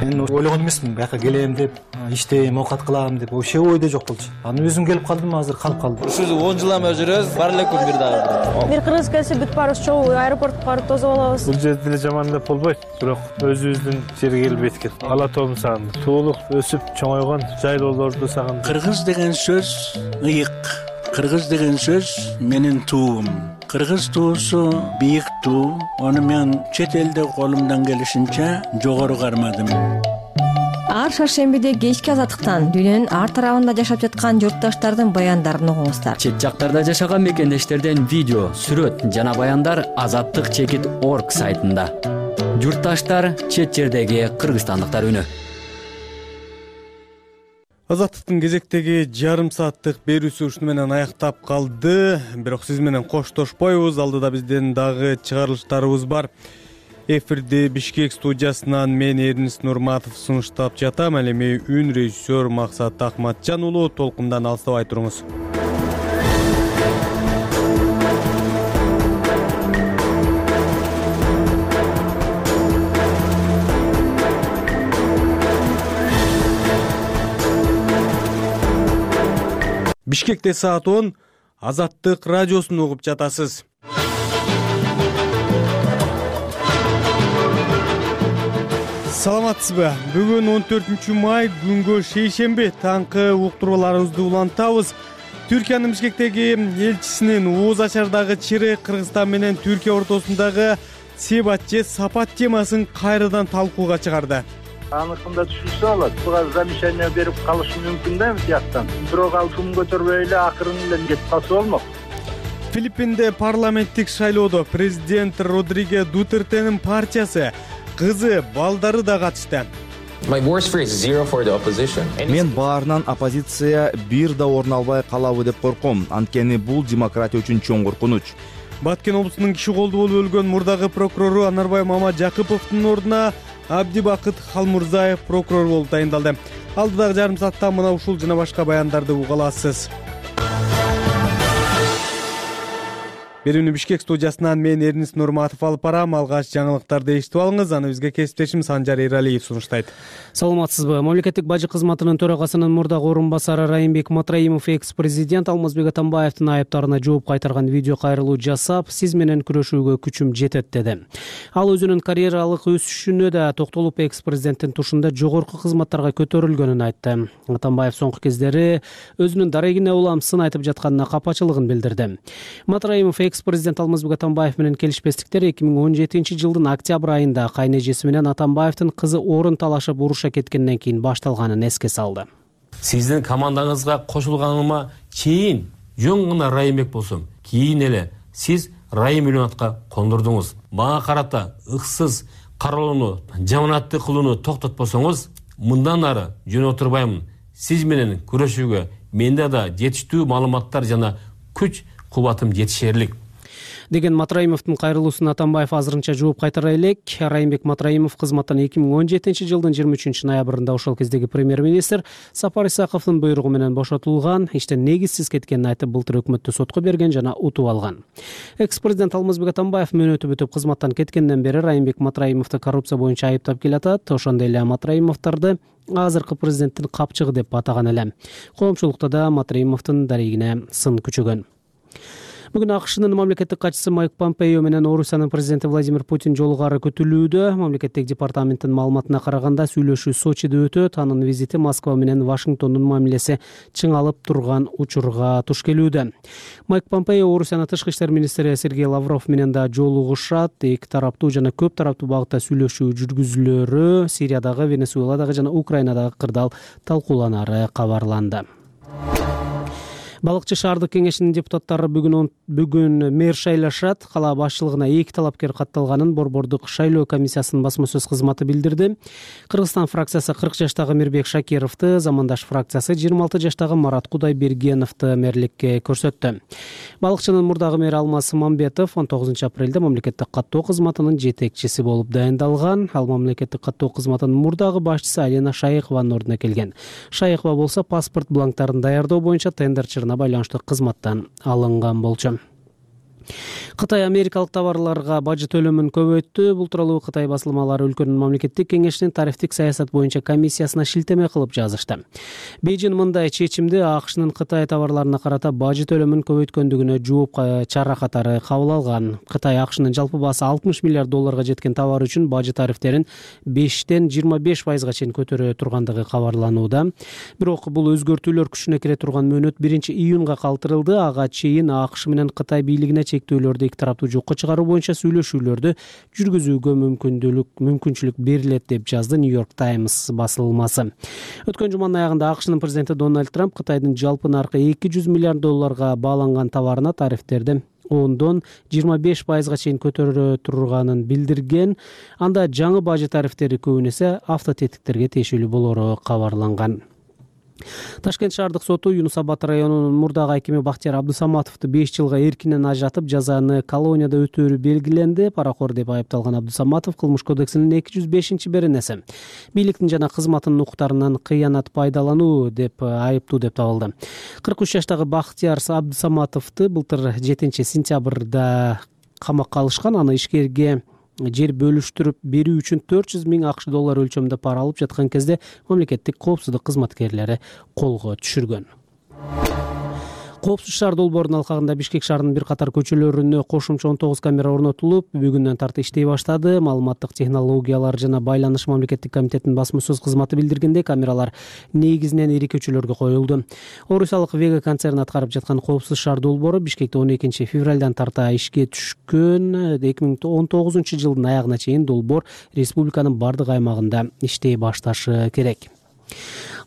Мен ойлогон эмесмин, бияка келем деп, иштейм, оокат кылам деп, вообще ойдо жок болчу. Анан өзүм келип калдым, азыр калып калдым. Ушул он жылдан бери жүрөбүз, бар элекпиз бир дагы. Бир кыргыз келсе бүт баарыбыз чогуу аэропортко барып тосуп алабыз. Бул жерде эле жаман деп болбойт, бирок өзүбүздүн жерге келбейт экен. Ала тоом сагындым. Туулук өсүп чоңойгон жайлоолорду сагындым. Кыргыз деген сөз ыйык. Кыргыз деген сөз менин туум. Кыргыз туусу бийик туу. Аны мен чет элде колумдан келишинче жогору кармадым. Ар шаршембиде кечки Азаттыктан дүйнөнүн ар тарабында жашап жаткан журтташтардын баяндарын угуңуздар. Чет жактарда жашаган мекендештерден видео, сүрөт жана баяндар азаттык чекит точка орг сайтында. Журтташтар, чет жердеги кыргызстандыктар үнү. Азаттыктын кезектеги жарым сааттык берүүсү ушуну менен аяктап калды. Бирок сиз менен коштошпойбуз. Алдыда биздин дагы чыгарылыштарыбыз бар. Эфирди Бишкек студиясынан мен Эрнис Нурматов сунуштап жатам. Ал эми үн режиссер Максат Акматжан уулу. Толкундан алыстабай туруңуз. Бишкекте саат он, Азаттык радиосун угуп жатасыз. Саламатсызбы? Бүгүн он төртүнчү май күнгө шейшемби таңкы уктурууларыбызды улантабыз. Түркиянын Бишкектеги элчисинин ооз ачардагы чыйры Кыргызстан менен Түркия ортосундагы себат же сапат темасын кайрадан талкууга чыгарды. Аныкында түшүнсө болот. Буга замечание берип калышы мүмкүн да бияктан. Бирок ал шум көтөрбөй эле акырын эле кетип калса болмок. Филиппинде парламенттик шайлоодо президент Родриго Дутертенин партиясы кызы, балдары да катышты. Мен баарынан оппозиция бир да орун албай калабы деп корком. Анткени бул демократия үчүн чоң коркунуч. Баткен облусунун киши колду болуп өлгөн мурдагы прокурору Анарбай Мамажакыповдун ордуна Абдибакыт Халмурзаев прокурор болуп тайындалды. Алдыдагы жарым саатта мына ушул жана башка баяндарды уга аласыз. Берүүнү Бишкек студиясынан мен Эрнис Нурматов алып барам. Алгач жаңылыктарды эшитип алыңыз. Аны бизге кесиптешим Санжар Эралиев сунуштайт. Саламатсызбы? Мамлекеттик бажы кызматынын төрагасынын мурдагы орун басары Райымбек Матраимов экс-президент Алмазбек Атамбаевдин айыптарына жооп кайтарган видео кайрылуу жасап, сиз менен күрөшүүгө күчүм жетет деди. Ал өзүнүн карьералык өсүшүнө да токтолуп, экс-президенттин тушунда жогорку кызматтарга көтөрүлгөнүн айтты. Атамбаев соңку кездери өзүнүн дарегине улам сын айтып жатканына капачылыгын билдирди. Матраимов экс-президент Алмазбек Атамбаев менен келишпестиктер эки миң он жетинчи жылдын октябрь айында кайнежеси менен Атамбаевдин кызы орун талашып уруша кеткенден кийин башталганын эске салды. Сиздин командаңызга кошулганыма чейин жөн гана Райымбек болсом, кийин эле сиз Райым Үлөнатка кондурдуңуз. Мага карата ыксыз каралууну, жаманатты кылууну токтотпосоңуз, мындан ары жөн отурбаймын. Сиз менен күрөшүүгө менде да жетиштүү маалыматтар жана күч кубатым жетишерлик деген Матраимовдун кайрылуусуна Атамбаев азырынча жооп кайтара элек. Райымбек Матраимов кызматтан эки миң он жетинчи жылдын жыйырма үчүнчү ноябрында ошол кездеги премьер-министр Сапар Исаковдун буйругу менен бошотулган, иштен негизсиз кеткенин айтып, былтыр өкмөттү сотко берген жана утуп алган. Экс-президент Алмазбек Атамбаев мөөнөтү бүтүп кызматтан кеткенден бери Райымбек Матраимовду коррупция боюнча айыптап келатат. Ошондой эле Матраимовдорду азыркы президенттин капчыгы деп атаган эле. Коомчулукта да Матраимовдун дарегине сын күчөгөн. Бүгүн АКШнын мамлекеттик катчысы Майк Помпео менен Орусиянын президенти Владимир Путин жолугары күтүлүүдө. Мамлекеттик департаменттин маалыматына караганда сүйлөшүү Сочиде өтөт. Анын визити Москва менен Вашингтондун мамилеси чыңалып турган учурга туш келүүдө. Майк Помпео Орусиянын тышкы иштер министри Сергей Лавров менен да жолугушат. Эки тараптуу жана көп тараптуу багытта сүйлөшүү жүргүзүлөрү, Сириядагы, Венесуэладагы жана Украинадагы кырдаал талкууланары кабарланды. Балыкчы шаардык кеңешинин депутаттары бүгүн бүгүн мэр шайлашат. Кала башчылыгына эки талапкер катталганын Борбордук шайлоо комиссиясынын басма сөз кызматы билдирди. Кыргызстан фракциясы кырк жаштагы Мирбек Шакировду, Замандаш фракциясы жыйырма алты жаштагы Марат Кудайбергеновду мэрликке көрсөттү. Балыкчынын мурдагы мэри Алмаз Мамбетов он тогузунчу апрелде мамлекеттик каттоо кызматынын жетекчиси болуп дайындалган. Ал мамлекеттик каттоо кызматынын мурдагы башчысы Алена Шайыкованын ордуна келген. Шайыкова болсо паспорт бланктарын даярдоо боюнча тендерчилерге байланыштуу кызматтан алынган болчу. Кытай америкалык товарларга бажы төлөмүн көбөйттү. Бул тууралуу Кытай басылмалары өлкөнүн мамлекеттик кеңешинин тарифтик саясат боюнча комиссиясына шилтеме кылып жазышты. Бейжин мындай чечимди АКШнын Кытай товарларына карата бажы төлөмүн көбөйткөндүгүнө жооп чара катары кабыл алган. Кытай АКШнын жалпы баасы алтымыш миллиард долларга жеткен товар үчүн бажы тарифтерин бештен жыйырма беш пайызга чейин көтөрө тургандыгы кабарланууда. Бирок бул өзгөртүүлөр күчүнө кире турган мөөнөт биринчи июнга калтырылды. Ага чейин АКШ менен Кытай бийлигине чектөөлөрдү эки тараптуу жокко чыгаруу боюнча сүйлөшүүлөрдү жүргүзүүгө мүмкүндүлүк мүмкүнчүлүк берилет деп жазды Нью-Йорк Таймс басылмасы. Өткөн жуманын аягында АКШнын президенти Дональд Трамп Кытайдын жалпы наркы эки жүз миллиард долларга бааланган товарына тарифтерди ондон жыйырма беш пайызга чейин көтөрө турганын билдирген. Анда жаңы бажы тарифтери көбүн эсе автотетиктерге тиешелүү болору кабарланган. Ташкент шаардык соту Юнус Абад районунун мурдагы акими Бактияр Абдусаматовду беш жылга эркинен ажыратып, жазаны колонияда өтөөрү белгиленди. Паракор деп айыпталган Абдусаматов Кылмыш кодексинин эки жүз бешинчи беренеси бийликтин жана кызматтын укуктарынан кыянат пайдалануу деп айыптуу деп табылды. кырк үч жаштагы Бактияр Абдусаматовду былтыр жетинчи сентябрда камакка алышкан. Аны ишкерге жер бөлүштүрүп берүү үчүн төрт жүз миң акш доллар өлчөмүндө пара алып жаткан кезде мамлекеттик коопсуздук кызматкерлери колго түшүргөн. Коопсуз шаар долбоорунун алкагында Бишкек шаарынын бир катар көчөлөрүнө кошумча он тогуз камера орнотулуп, бүгүндөн тарты иштей баштады. Маалыматтык технологиялар жана байланыш мамлекеттик комитетинин басма сөз кызматы билдиргендей, камералар негизинен ири көчөлөргө коюлду. Орусиялык Вега концерни аткарып жаткан коопсуз шаар долбоору Бишкекте он экинчи февралдан тарта ишке түшкөн. эки миң он тогузунчу жылдын аягына чейин долбоор республиканын бардык аймагында иштей башташы керек.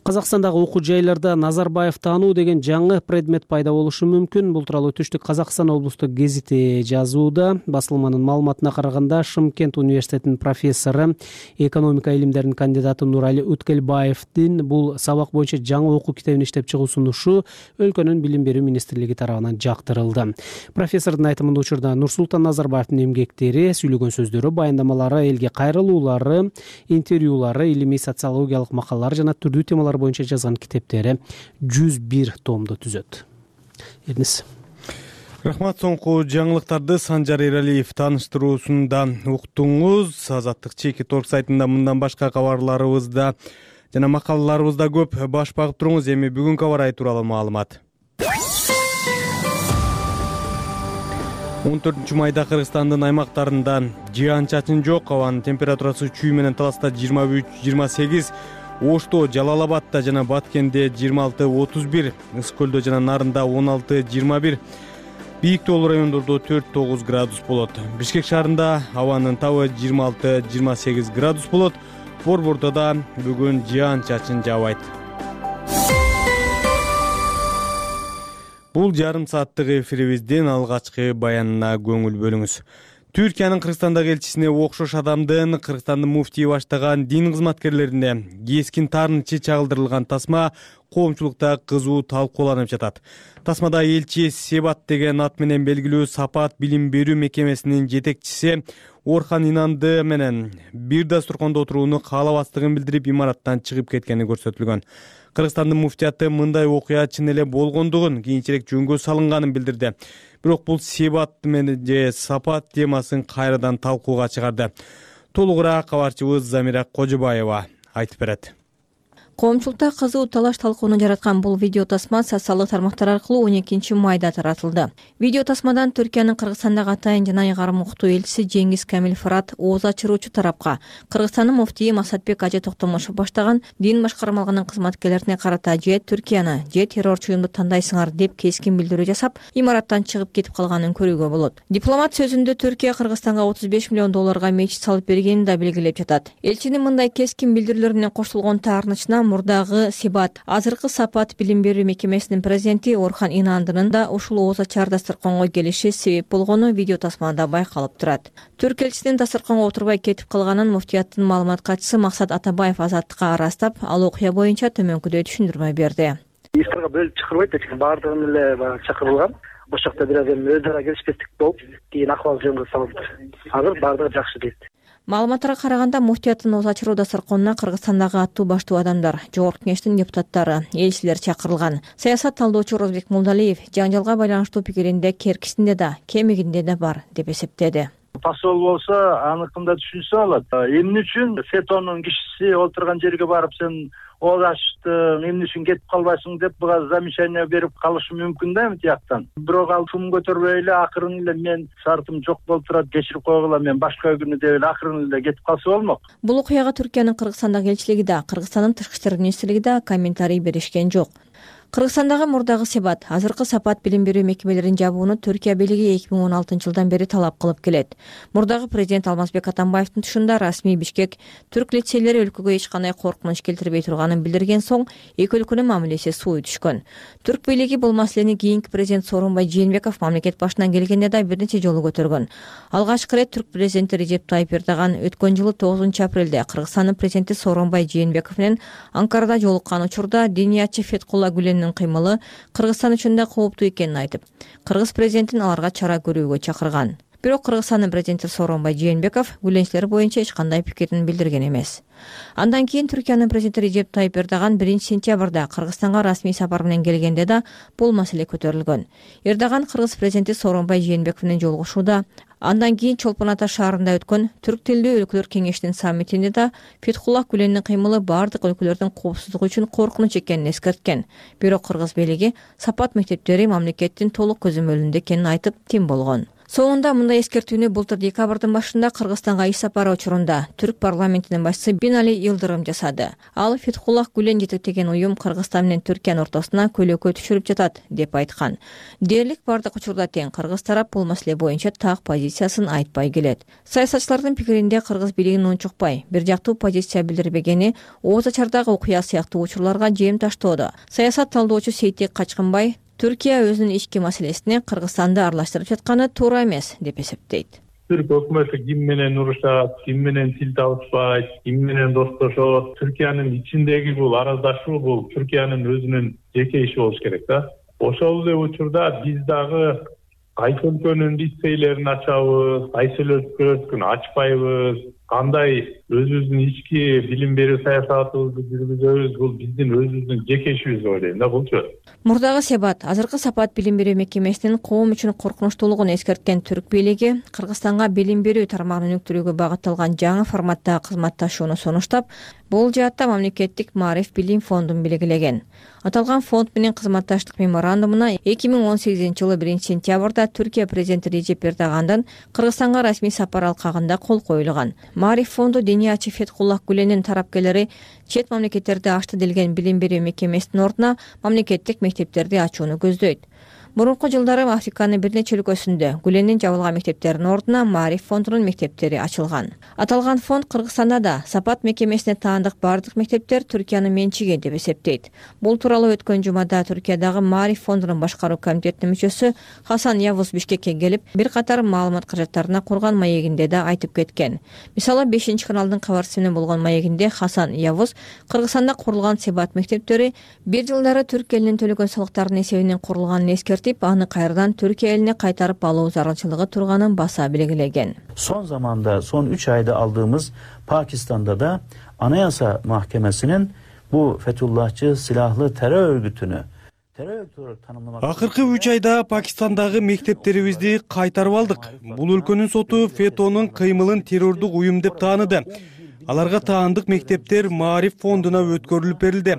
Казакстандагы окуу жайларда Назарбаев таануу деген жаңы предмет пайда болушу мүмкүн. Бул тууралуу Түштүк Казакстан облустук гезити жазууда. Басылманын маалыматына караганда, Шымкент университетинин профессору, экономика илимдеринин кандидаты Нурали Өткелбаевдин бул сабак боюнча жаңы окуу китебин иштеп чыгуу сунушу өлкөнүн билим берүү министрлиги тарабынан жактырылды. Профессордун айтымында, учурда Нурсултан Назарбаевдин эмгектери, сүйлөгөн сөздөрү, баяндамалары, элге кайрылуулары, интервьюлары, илимий социологиялык макалалар жана түрдүү темалар боюнча жазган китептери жүз бир томду түзөт. Эрнис. Рахмат. Соңку жаңылыктарды Санжар Эралиев тааныштыруусунда уктуңуз. Азаттык чеки торг сайтында мындан башка кабарларыбызда жана макалаларыбызда көп. Баш багып туруңуз. Эми бүгүнкү кабар ай тууралуу маалымат. он төртүнчү майда Кыргызстандын аймактарында жаан чачын жок. Абанын температурасы чүй менен Таласта жыйырма үч жыйырма сегиз, Ошто, Жалал Абадта жана Баткенде жыйырма алты отуз бир, Ысык көлдө жана Нарында он алты жыйырма бир, бийик тоолуу райондордо төрт тогуз градус болот. Бишкек шаарында абанын табы жыйырма алты жыйырма сегиз градус болот. Борбордо да бүгүн жаан чачын жаабайт. Бул жарым сааттык эфирибиздин алгачкы баянына көңүл бөлүңүз. Түркиянын Кыргызстандагы элчисине окшош адамдын Кыргызстандын муфтийи баштаган дин кызматкерлерине кескин таарынчы чагылдырылган тасма коомчулукта кызуу талкууланып жатат. Тасмада элчи Себат деген ат менен белгилүү Сапат билим берүү мекемесинин жетекчиси Орхан Инанды менен бир дасторкондо отурууну каалабастыгын билдирип, имараттан чыгып кеткени көрсөтүлгөн. Кыргызстандын муфтияты мындай окуя чын эле болгондугун, кийинчерээк жөнгө салынганын билдирди. Бирок бул Себат менен же Сапат темасын кайрадан талкууга чыгарды. Толугураак кабарчыбыз Замира Кожобаева айтып берет. Коомчулукта кызуу талаш талкууну жараткан бул видео тасма социалдык тармактар аркылуу он экинчи майда таратылды. Видео тасмадан Түркиянын Кыргызстандагы атайын жана айгарым уктуу элчиси Жеңиз Камил Фырат ооз ачыруучу тарапка Кыргызстандын муфтийи Масатбек Ажы Токтомушев баштаган дин башкармалыгынын кызматкерлерине карата же Түркияны же террорчу уюмду тандайсыңар деп кескин билдирүү жасап, имараттан чыгып кетип калганын көрүүгө болот. Дипломат сөзүндө Түркия Кыргызстанга отуз беш миллион долларга мечит салып бергенин да белгилеп жатат. Элчинин мындай кескин билдирүүлөрүнө кошулгон таарынычына мурдагы Себат, азыркы Сапат билим берүү мекемесинин президенти Орхан Инандынын да ушул ооз ачар дасторконго келиши себеп болгону видео тасмада байкалып турат. Түрк элчисинин дасторконго отурбай кетип калганын муфтияттын маалымат катчысы Максат Атабаев Азаттыкка арастап, ал окуя боюнча төмөнкүдөй түшүндүрмө берди. Иштерге бөлүп чакырбайт, эч баардыгын эле баягы чакырылган. Ошол жакта бир аз эми өз ара келишпестик болуп, кийин акыбал жөнгө салынды. Азыр баардыгы жакшы дейт. Маалыматтарга караганда, муфтияттын ооз ачыруу дасторконуна Кыргызстандагы аттуу баштуу адамдар, жогорку кеңештин депутаттары, элчилер чакырылган. Саясат талдоочу Розбек Мулдалиев жаңжалга байланыштуу пикиринде керкисинде да, кемигинде да бар деп эсептеди. Посол болсо аныкында түшүнсө болот. Эмне үчүн СЭТОнун кишиси отурган жерге барып сен ооз ачтың, эмне үчүн кетип калбайсың деп буга замечание берип калышы мүмкүн да эми тияктан. Бирок ал шум көтөрбөй эле акырын эле мен шартым жок болуп турат, кечирип койгула, мен башка күнү деп эле акырын эле кетип калса болмок. Бул окуяга Түркиянын Кыргызстандагы элчилиги да, Кыргызстандын тышкы иштер министрлиги да комментарий беришкен жок. Кыргызстандагы мурдагы себат азыркы сапат билим берүү мекемелерин жабууну Түркия бийлиги эки миң он алтынчы жылдан бери талап кылып келет. Мурдагы президент Алмазбек Атамбаевдин тушунда расмий Бишкек түрк лицейлери өлкөгө эч кандай коркунуч келтирбей турганын билдирген соң эки өлкөнүн мамилеси сууй түшкөн. Түрк бийлиги бул маселени кийинки президент Сооронбай Жээнбеков мамлекет башына келгенде да бир нече жолу көтөргөн. Алгачкы ирет түрк президенти Режеп Тайып Эрдоган өткөн жылы тогузунчу апрелде Кыргызстандын президенти Сооронбай Жээнбеков менен Анкарада жолуккан учурда Дениятчы Феткулла Гүленин кыймылы Кыргызстан үчүн да кооптуу экенин айтып, кыргыз президентин аларга чара көрүүгө чакырган. Бирок Кыргызстандын президенти Сооронбай Жээнбеков Гүленчилер боюнча эч кандай пикирин билдирген эмес. Андан кийин Түркиянын президенти Режеп Тайып Эрдоган биринчи сентябрда Кыргызстанга расмий сапар менен келгенде да бул маселе көтөрүлгөн. Эрдоган кыргыз президенти Сооронбай Жээнбеков менен жолугушууда, андан кийин Чолпон Ата шаарында өткөн Түрк тилдүү өлкөлөр кеңешинин саммитинде да Феткулла Гүленин кыймылы бардык өлкөлөрдүн коопсуздугу үчүн коркунуч экенин эскерткен. Бирок кыргыз бийлиги сапат мектептери мамлекеттин толук көзөмөлүндө экенин айтып тим болгон. Соңунда мындай эскертүүнү былтыр декабрдын башында Кыргызстанга иш сапары учурунда түрк парламентинин башчысы Бинали Йылдырым жасады. Ал Феткулла Гүлен жетектеген уюм Кыргызстан менен Түркиянын ортосуна көлөкө түшүрүп жатат деп айткан. Дээрлик бардык учурда тең кыргыз тарап бул маселе боюнча так позициясын айтпай келет. Саясатчылардын пикиринде кыргыз бийлигин унчукпай, бир жактуу позиция билдирбегени Ооз Ачардагы окуя сыяктуу учурларга жем таштоодо. Саясат талдоочу Сейтек Качкынбай Түркия өзүнүн ички маселесине Кыргызстанды аралаштырып жатканы туура эмес деп эсептейт. Түрк өкмөтү ким менен урушат, ким менен тил табышпайт, ким менен достошот, Түркиянын ичиндеги бул араздашуу бул Түркиянын өзүнүн жеке иши болуш керек да. Ошол эле учурда биз дагы кайсы өлкөнүн лицейлерин ачабыз, кайсы өлкөнүн ачпайбыз, кандай өзүбүздүн ички билим берүү саясатыбызды жүргүзөбүз, бул биздин өзүбүздүн жеке ишибиз деп ойлойм да булчу. Мурдагы себат азыркы сапат билим берүү мекемесинин коом үчүн коркунучтуулугун эскерткен түрк бийлиги Кыргызстанга билим берүү тармагын өнүктүрүүгө багытталган жаңы форматтагы кызматташууну сунуштап, бул жаатта мамлекеттик Маариф билим фондун белгилеген. Аталган фонд менен кызматташтык меморандумуна эки миң он сегизинчи жылы биринчи сентябрда Түркия президенти Режеп Эрдогандын Кыргызстанга расмий сапар алкагында кол коюлган. Маариф фонду Дениятчы Феткулла Гүленин тарапкерлери чет мамлекеттерде ачты делген билим берүү мекемесинин ордуна мамлекеттик мектептерди ачууну көздөйт. Мурунку жылдары Африканын бир нече өлкөсүндө Гүленин жабылган мектептеринин ордуна Маариф фондунун мектептери ачылган. Аталган фонд Кыргызстанда да сапат мекемесине таандык бардык мектептер Түркиянын менчиги деп эсептейт. Бул тууралуу өткөн жумада Түркиядагы Маариф фондунун башкаруу комитетинин мүчөсү Хасан Явуз Бишкекке келип, бир катар маалымат каражаттарына курган маегинде да айтып кеткен. Мисалы бешинчи каналдын кабарчысы менен болгон маегинде Хасан Явуз Кыргызстанда курулган себат мектептери бир жылдары түрк элинин төлөгөн салыктарынын эсебинен курулганын эскертип, аны кайрадан Түркия элине кайтарып алуу зарылчылыгы турганын баса белгилеген. Son zamanda, son üç ayda aldığımız Pakistan'da da Anayasa Mahkemesi'nin bu Fethullahçı silahlı terör örgütünü Акыркы үч айда Пакистандагы мектептерибизди кайтарып алдык. Бул өлкөнүн соту Фетонун кыймылын террордук уюм деп тааныды. Аларга таандык мектептер Маариф фондуна өткөрүлүп берилди.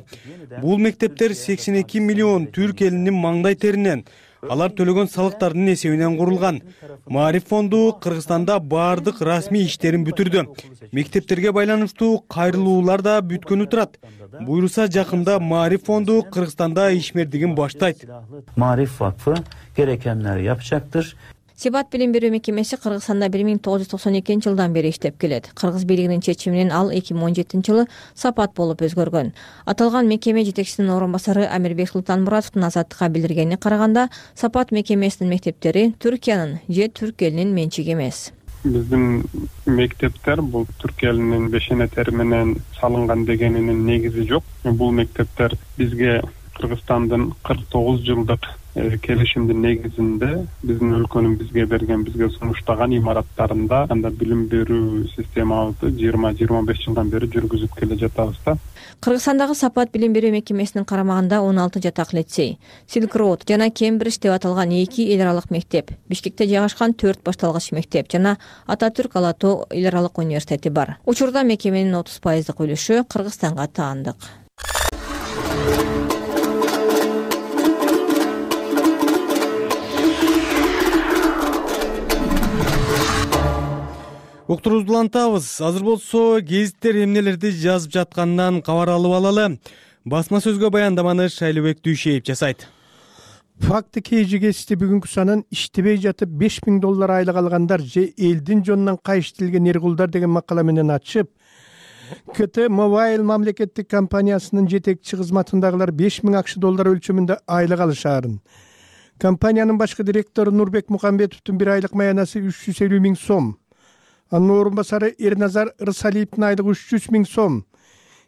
Бул мектептер сексен эки миллион түрк элинин маңдай теринен, алар төлөгөн салыктардын эсебинен курулган. Маариф фонду Кыргызстанда бардык расмий иштерин бүтүрдү. Мектептерге байланыштуу кайрылуулар да бүткөнү турат. Буйруса жакында Маариф фонду Кыргызстанда ишмердигин баштайт. Ma'rif Vakfı gerekenler yapacaktır. Себат билим берүү мекемеси Кыргызстанда бир миң тогуз жүз токсон экинчи жылдан бери иштеп келет. Кыргыз бийлигинин чечими менен ал эки миң он жетинчи жылы сапат болуп өзгөргөн. Аталган мекеме жетекчисинин орун басары Амирбек Султанмуратовдун Азаттыкка билдиргенине караганда, сапат мекемесинин мектептери Түркиянын же түрк элинин менчиги эмес. Биздин мектептер бул түрк элинин бешенетери менен салынган дегенинин негизи жок. Бул мектептер бизге Кыргызстандын кырк тогуз жылдык келишимдин негизинде биздин өлкөнүн бизге берген, бизге сунуштаган имараттарында анда билим берүү системабызды жыйырма жыйырма беш жылдан бери жүргүзүп келе жатабыз да. Кыргызстандагы сапат билим берүү мекемесинин карамагында он алты жатак лицей, Silk Road жана Кембридж деп аталган эки эл аралык мектеп, Бишкекте жайгашкан төрт башталгыч мектеп жана Ататүрк Ала Тоо эл аралык университети бар. Учурда мекеменин отуз пайыздык үлүшү Кыргызстанга таандык. Уктурубузду улантабыз. Азыр болсо гезиттер эмнелерди жазып жатканынан кабар алып алалы. Басма сөзгө баяндаманы Шайлообек Дүйшеев жасайт. Факты kg кести бүгүнкү санын иштебей жатып беш миң доллар айлык алгандар же элдин жонунан кайыштилген эргулдар деген макала менен ачып, КТ Mobile мамлекеттик компаниясынын жетекчи кызматындагылар беш миң акш доллар өлчөмүндө айлык алышаарын. Компаниянын башкы директору Нурбек Мукамбетовдун бир айлык маянасы үч жүз элүү миң сом. Анын орун басары Эрназар Рысалиевдин айлыгы үч жүз миң сом.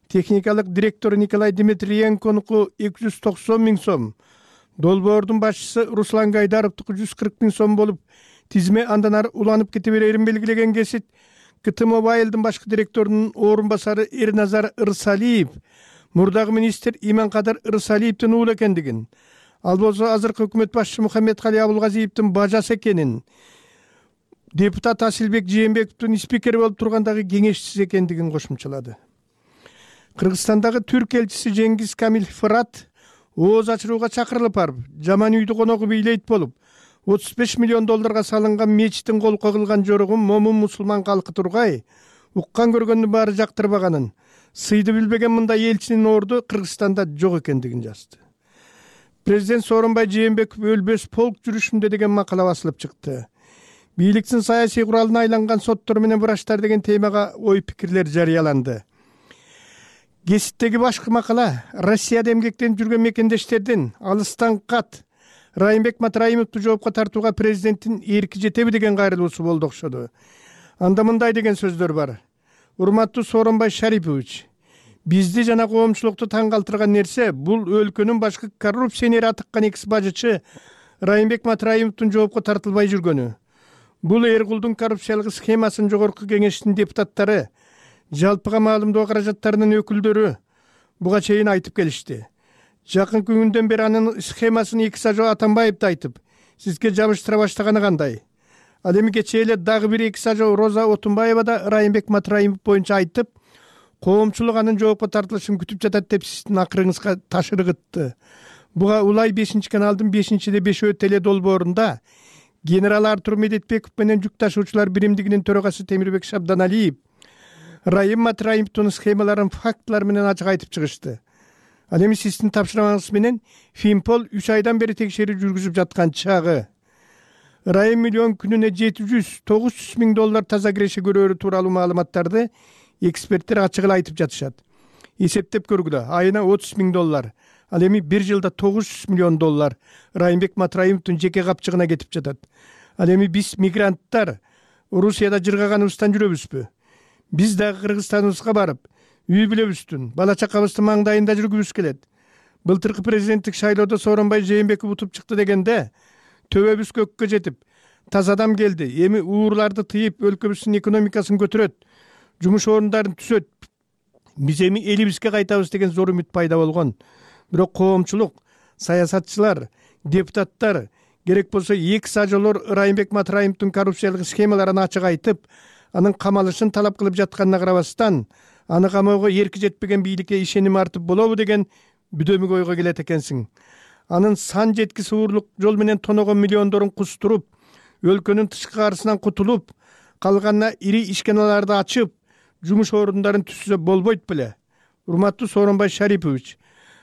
Техникалык директору Николай Дмитриенконуку эки жүз токсон миң сом. Долбоордун башчысы Руслан Гайдаровдуку жүз кырк миң сом болуп, тизме андан ары уланып кете берерин белгилеген кесит КТ Мобайлдын башкы директорунун орун басары Эрназар Рысалиев мурдагы министр Иманкадыр Рысалиевдин уулу экендигин, ал болсо азыркы өкмөт башчысы Мухаммедкали Абулгазиевдин бажасы экенин, депутат Асилбек Жээнбековдун спикери болуп тургандагы кеңешчиси экендигин кошумчалады. Кыргызстандагы түрк элчиси Жеңгиз Камил Фырат ооз ачырууга чакырылып барып, жаман үйдү коногу бийлейт болуп, отуз беш миллион долларга салынган мечиттин колко кылган жорогун момун мусулман калкы тургай, уккан көргөндүн баары жактырбаганын, сыйды билбеген мындай элчинин орду Кыргызстанда жок экендигин жазды. Президент Сооронбай Жээнбеков өлбөс полк жүрүшүндө деген макала басылып чыкты. Бийликтин саясий куралына айланган соттор менен врачтар деген темага ой пикирлер жарыяланды. Геситтеги башкы макала Россияда эмгектенип жүргөн мекендештердин алыстан кат Райымбек Матраимовду жоопко тартууга президенттин эрки жетеби деген кайрылуусу болду окшоду. Анда мындай деген сөздөр бар. Урматтуу Сооронбай Шарипович, бизди жана коомчулукту таң калтырган нерсе бул өлкөнүн башкы коррупционери атыккан экс бажычы Райымбек Матраимовдун жоопко тартылбай жүргөнү. Бул Эргулдун коррупциялык схемасын жогорку кеңештин депутаттары, жалпыга маалымдоо каражаттарынын өкүлдөрү буга чейин айтып келишти. Жакын күндөн бери анын схемасын эки сажо Атамбаевди айтып, сизге жабыштыра баштаганы кандай? Ал эми кечээ эле дагы бир эки сажо Роза Отунбаева да Райымбек Матраимов боюнча айтып, коомчулук анын жоопко тартылышын күтүп жатат деп сиздин акырыңызга таш ыргытты. Буга Улай бешинчи каналдын бешинчиде бешөө теле долбоорунда генерал Артур Медетбеков менен жүк ташуучулар биримдигинин төрагасы Темирбек Шабданалиев Райым Матраимовдун схемаларын фактылар менен ачык айтып чыгышты. Ал эми сиздин тапшырмаңыз менен Финпол үч айдан бери текшерүү жүргүзүп жаткан чагы. Райым миллион күнүнө жети жүз тогуз жүз миң доллар таза киреше көрөөрү тууралуу маалыматтарды эксперттер ачык эле айтып жатышат. Эсептеп көргүлө, айына отуз миң доллар. Ал эми бир жылда тогуз жүз миллион доллар Райымбек Матраимовдун жеке капчыгына кетип жатат. Ал эми биз мигранттар Орусияда жыргаганыбыздан жүрөбүзбү? Биз дагы Кыргызстаныбызга барып, үй бүлөбүздүн, бала чакабыздын маңдайында жүргүбүз келет. Былтыркы президенттик шайлоодо Сооронбай Жээнбеков утуп чыкты дегенде, төбөбүз көккө жетип, таза адам келди, эми уурларды тыйып, өлкөбүздүн экономикасын көтөрөт, жумуш орундарын түзөт, биз эми элибизге кайтабыз деген зор үмүт пайда болгон. Бирок коомчулук, саясатчылар, депутаттар, керек болсо эки сажолор Райымбек Матраимовдун коррупциялык схемаларын ачык айтып, анын камалышын талап кылып жатканына карабастан, аны камоого эрки жетпеген бийликке ишеним артып болобу деген бүдөмүк ойго келет экенсиң. Анын сан жеткис уурлук жол менен тоногон миллиондорун кустуруп, өлкөнүн тышкы карысынан кутулуп, калганына ири ишканаларды ачып, жумуш орундарын түзсө болбойт беле? Урматтуу Сооронбай Шарипович,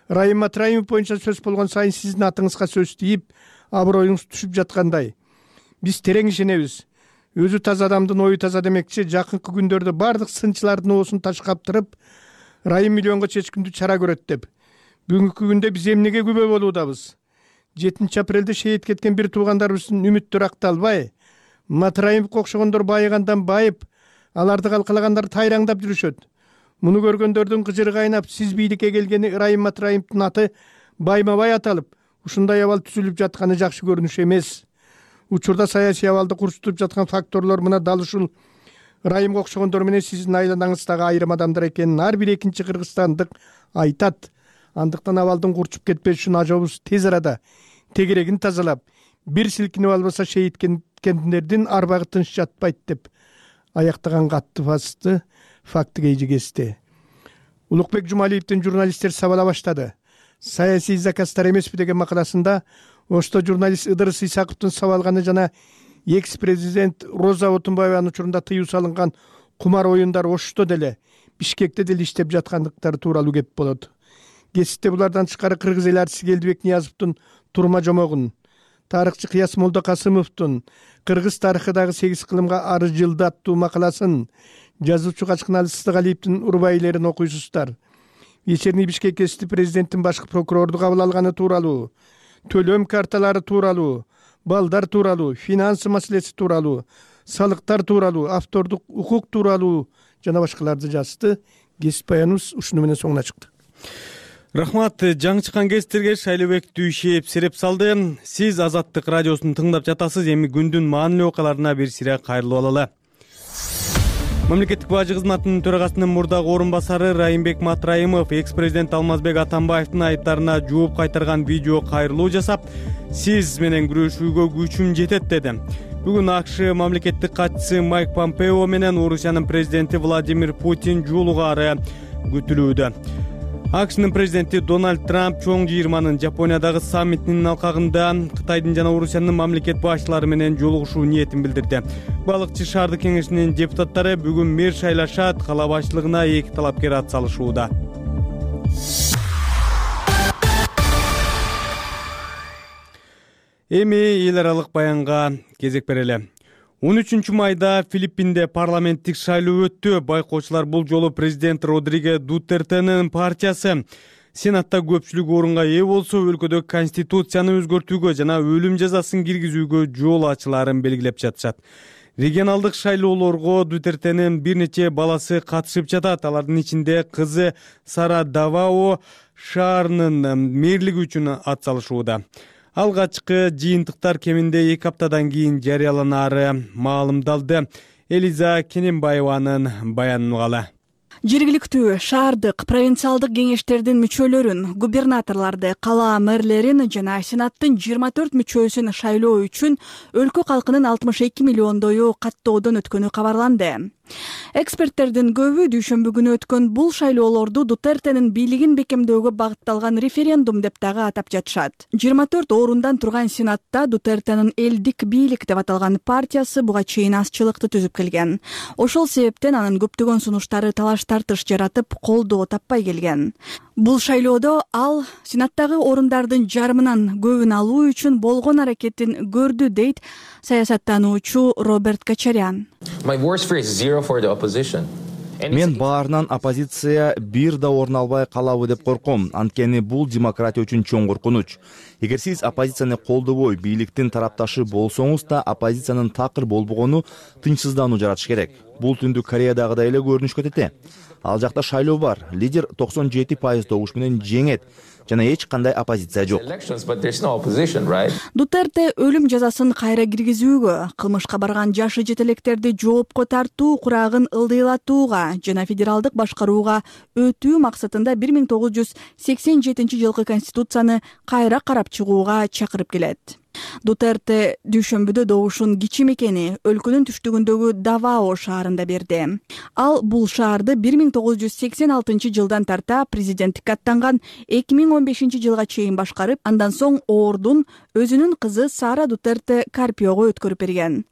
Райым Матраимов боюнча сөз болгон сайын сиздин атыңызга сөз тийип, аброюңуз түшүп жаткандай. Биз терең ишенебиз. Өзү таза адамдын ою таза демекчи, жакынкы күндөрдө бардык сынчылардын оосун таш каптырып, Райым миллионго чечкиндүү чара көрөт деп. Бүгүнкү күндө биз эмнеге күбө болуудабыз? жетинчи апрелде шейит кеткен бир туугандарыбыздын үмүттөрү акталбай, Матраимовго окшогондор байыгандан байып, аларды калкалагандар тайраңдап жүрүшөт. Муну көргөндөрдүн кыжыры кайнап, сиз бийликке келгени Райым Матраимовдун аты байма-бай аталып, ушундай абал түзүлүп жатканы жакшы көрүнүш эмес. Учурда саясий абалды курчутуп жаткан факторлор мына дал ушул Райымга окшогондор менен сиздин айланаңыздагы айрым адамдар экенин ар бир экинчи кыргызстандык айтат. Андыктан абалдын курчуп кетпеш үчүн ажобуз тез арада тегерегин тазалап, бир силкинип албаса шейит кеткендердин арбагы тынч жатпайт деп аяктаган катты басты факты кейжигесте. Улукбек Жумалиевдин журналисттер сабала баштады. Саясий заказдар эмеспи деген макаласында Ошто журналист Ыдырыс Исаковдун сабалганы жана экс-президент Роза Отунбаеванын учурунда тыюу салынган кумар оюндар Ошто деле Бишкекте деле иштеп жаткандыктары тууралуу кеп болот. кесипте булардан тышкары кыргыз эл артисти Келдибек Ниязовдун турма жомогун, тарыхчы Кыяс Молдокасымовдун кыргыз тарыхыдагы сегиз кылымга ары жылды аттуу макаласын, жазуучу Качкыналы Сыздыгалиевдин урбайлерин окуйсуздар. Вечерний Бишкек кесипти президенттин башкы прокурорду кабыл алганы тууралуу, төлөм карталары тууралуу, балдар тууралуу, финансы маселеси тууралуу, салыктар тууралуу, автордук укук тууралуу жана башкаларды жазды. Кесип баяныбыз ушуну менен соңуна чыкты. Рахмат. Жаңы чыккан кесиптерге Шайлообек Дүйшиев сереп салды. Сиз Азаттык радиосун тыңдап жатасыз. Эми күндүн маанилүү окуяларына бир сире кайрылып алалы. Мамлекеттик бажы кызматынын төрагасынын мурдагы орун басары Райымбек Матраимов экс-президент Алмазбек Атамбаевдин айыптарына жооп кайтарган видео кайрылуу жасап, сиз менен күрөшүүгө күчүм жетет деди. Бүгүн АКШ мамлекеттик катчысы Майк Помпео менен Орусиянын президенти Владимир Путин жолугаары күтүлүүдө. АКШнын президенти Дональд Трамп чоң жыйырманын Жапониядагы саммитинин алкагында Кытайдын жана Орусиянын мамлекет башчылары менен жолугушуу ниетин билдирди. Балыкчы шаардык кеңешинин депутаттары бүгүн мэр шайлашат, кала башчылыгына эки талапкер ат салышууда. Эми эл аралык баянга кезек берели. он үчүнчү майда Филиппинде парламенттик шайлоо өттү. Байкоочулар бул жолу президент Родриго Дутертенин партиясы Сенатта көпчүлүк орунга ээ болсо, өлкөдө конституцияны өзгөртүүгө жана өлүм жазасын киргизүүгө жол ачылаарын белгилеп жатышат. Регионалдык шайлоолорго Дутертенин бир нече баласы катышып жатат. Алардын ичинде кызы Сара Давао шаарынын мэрлиги үчүн ат салышууда. Алгачкы жыйынтыктар кеминде эки аптадан кийин жарыяланары маалымдалды. Элиза Кененбаеванын баянын угалы. Жергиликтүү, шаардык, провинциалдык кеңештердин мүчөлөрүн, губернаторлорду, кала мэрлерин жана Сенаттын жыйырма төрт мүчөсүн шайлоо үчүн өлкө калкынын алтымыш эки миллиондою каттоодон өткөнү кабарланды. Эксперттердин көбү дүйшөмбү күнү өткөн бул шайлоолорду Дутертенин бийлигин бекемдөөгө багытталган референдум деп дагы атап жатышат. жыйырма төрт орундан турган Сенатта Дутертенин элдик бийлик деп аталган партиясы буга чейин азчылыкты түзүп келген. Ошол себептен анын көптөгөн сунуштары талаш тартыш жаратып, колдоо таппай келген. Бул шайлоодо ал Сенаттагы орундардын жарымынан көбүн алуу үчүн болгон аракетин көрдү, дейт саясаттануучу Роберт Качарян. Мен баарынан оппозиция бир да орун албай калабы деп корком, анткени бул демократия үчүн чоң коркунуч. Эгер сиз оппозицияны колдобой бийликтин тарапташы болсоңуз да, оппозициянын такыр болбогону тынчсыздануу жаратыш керек. Бул Түндүк Кореядагыдай эле көрүнүшкө өтөт. Ал жакта шайлоо бар, лидер токсон жети пайыз добуш менен жеңет жана эч кандай оппозиция жок. Дутерте өлүм жазасын кайра киргизүүгө, кылмышка барган жашы жетелектерди жоопко тартуу курагын ылдыйлатууга жана федералдык башкарууга өтүү максатында бир миң тогуз жүз сексен жетинчи жылкы конституцияны кайра карап чыгууга чакырып келет. Дутерте дүйшөмбүдө добушун кичи мекени өлкөнүн түштүгүндөгү Давао шаарында берди. Ал бул шаарды бир миң тогуз жүз сексен алтынчы жылдан тарта президенттикке аттанган эки миң он бешинчи жылга чейин башкарып, андан соң ордун өзүнүн кызы Сара Дутерте Карпиого өткөрүп берген.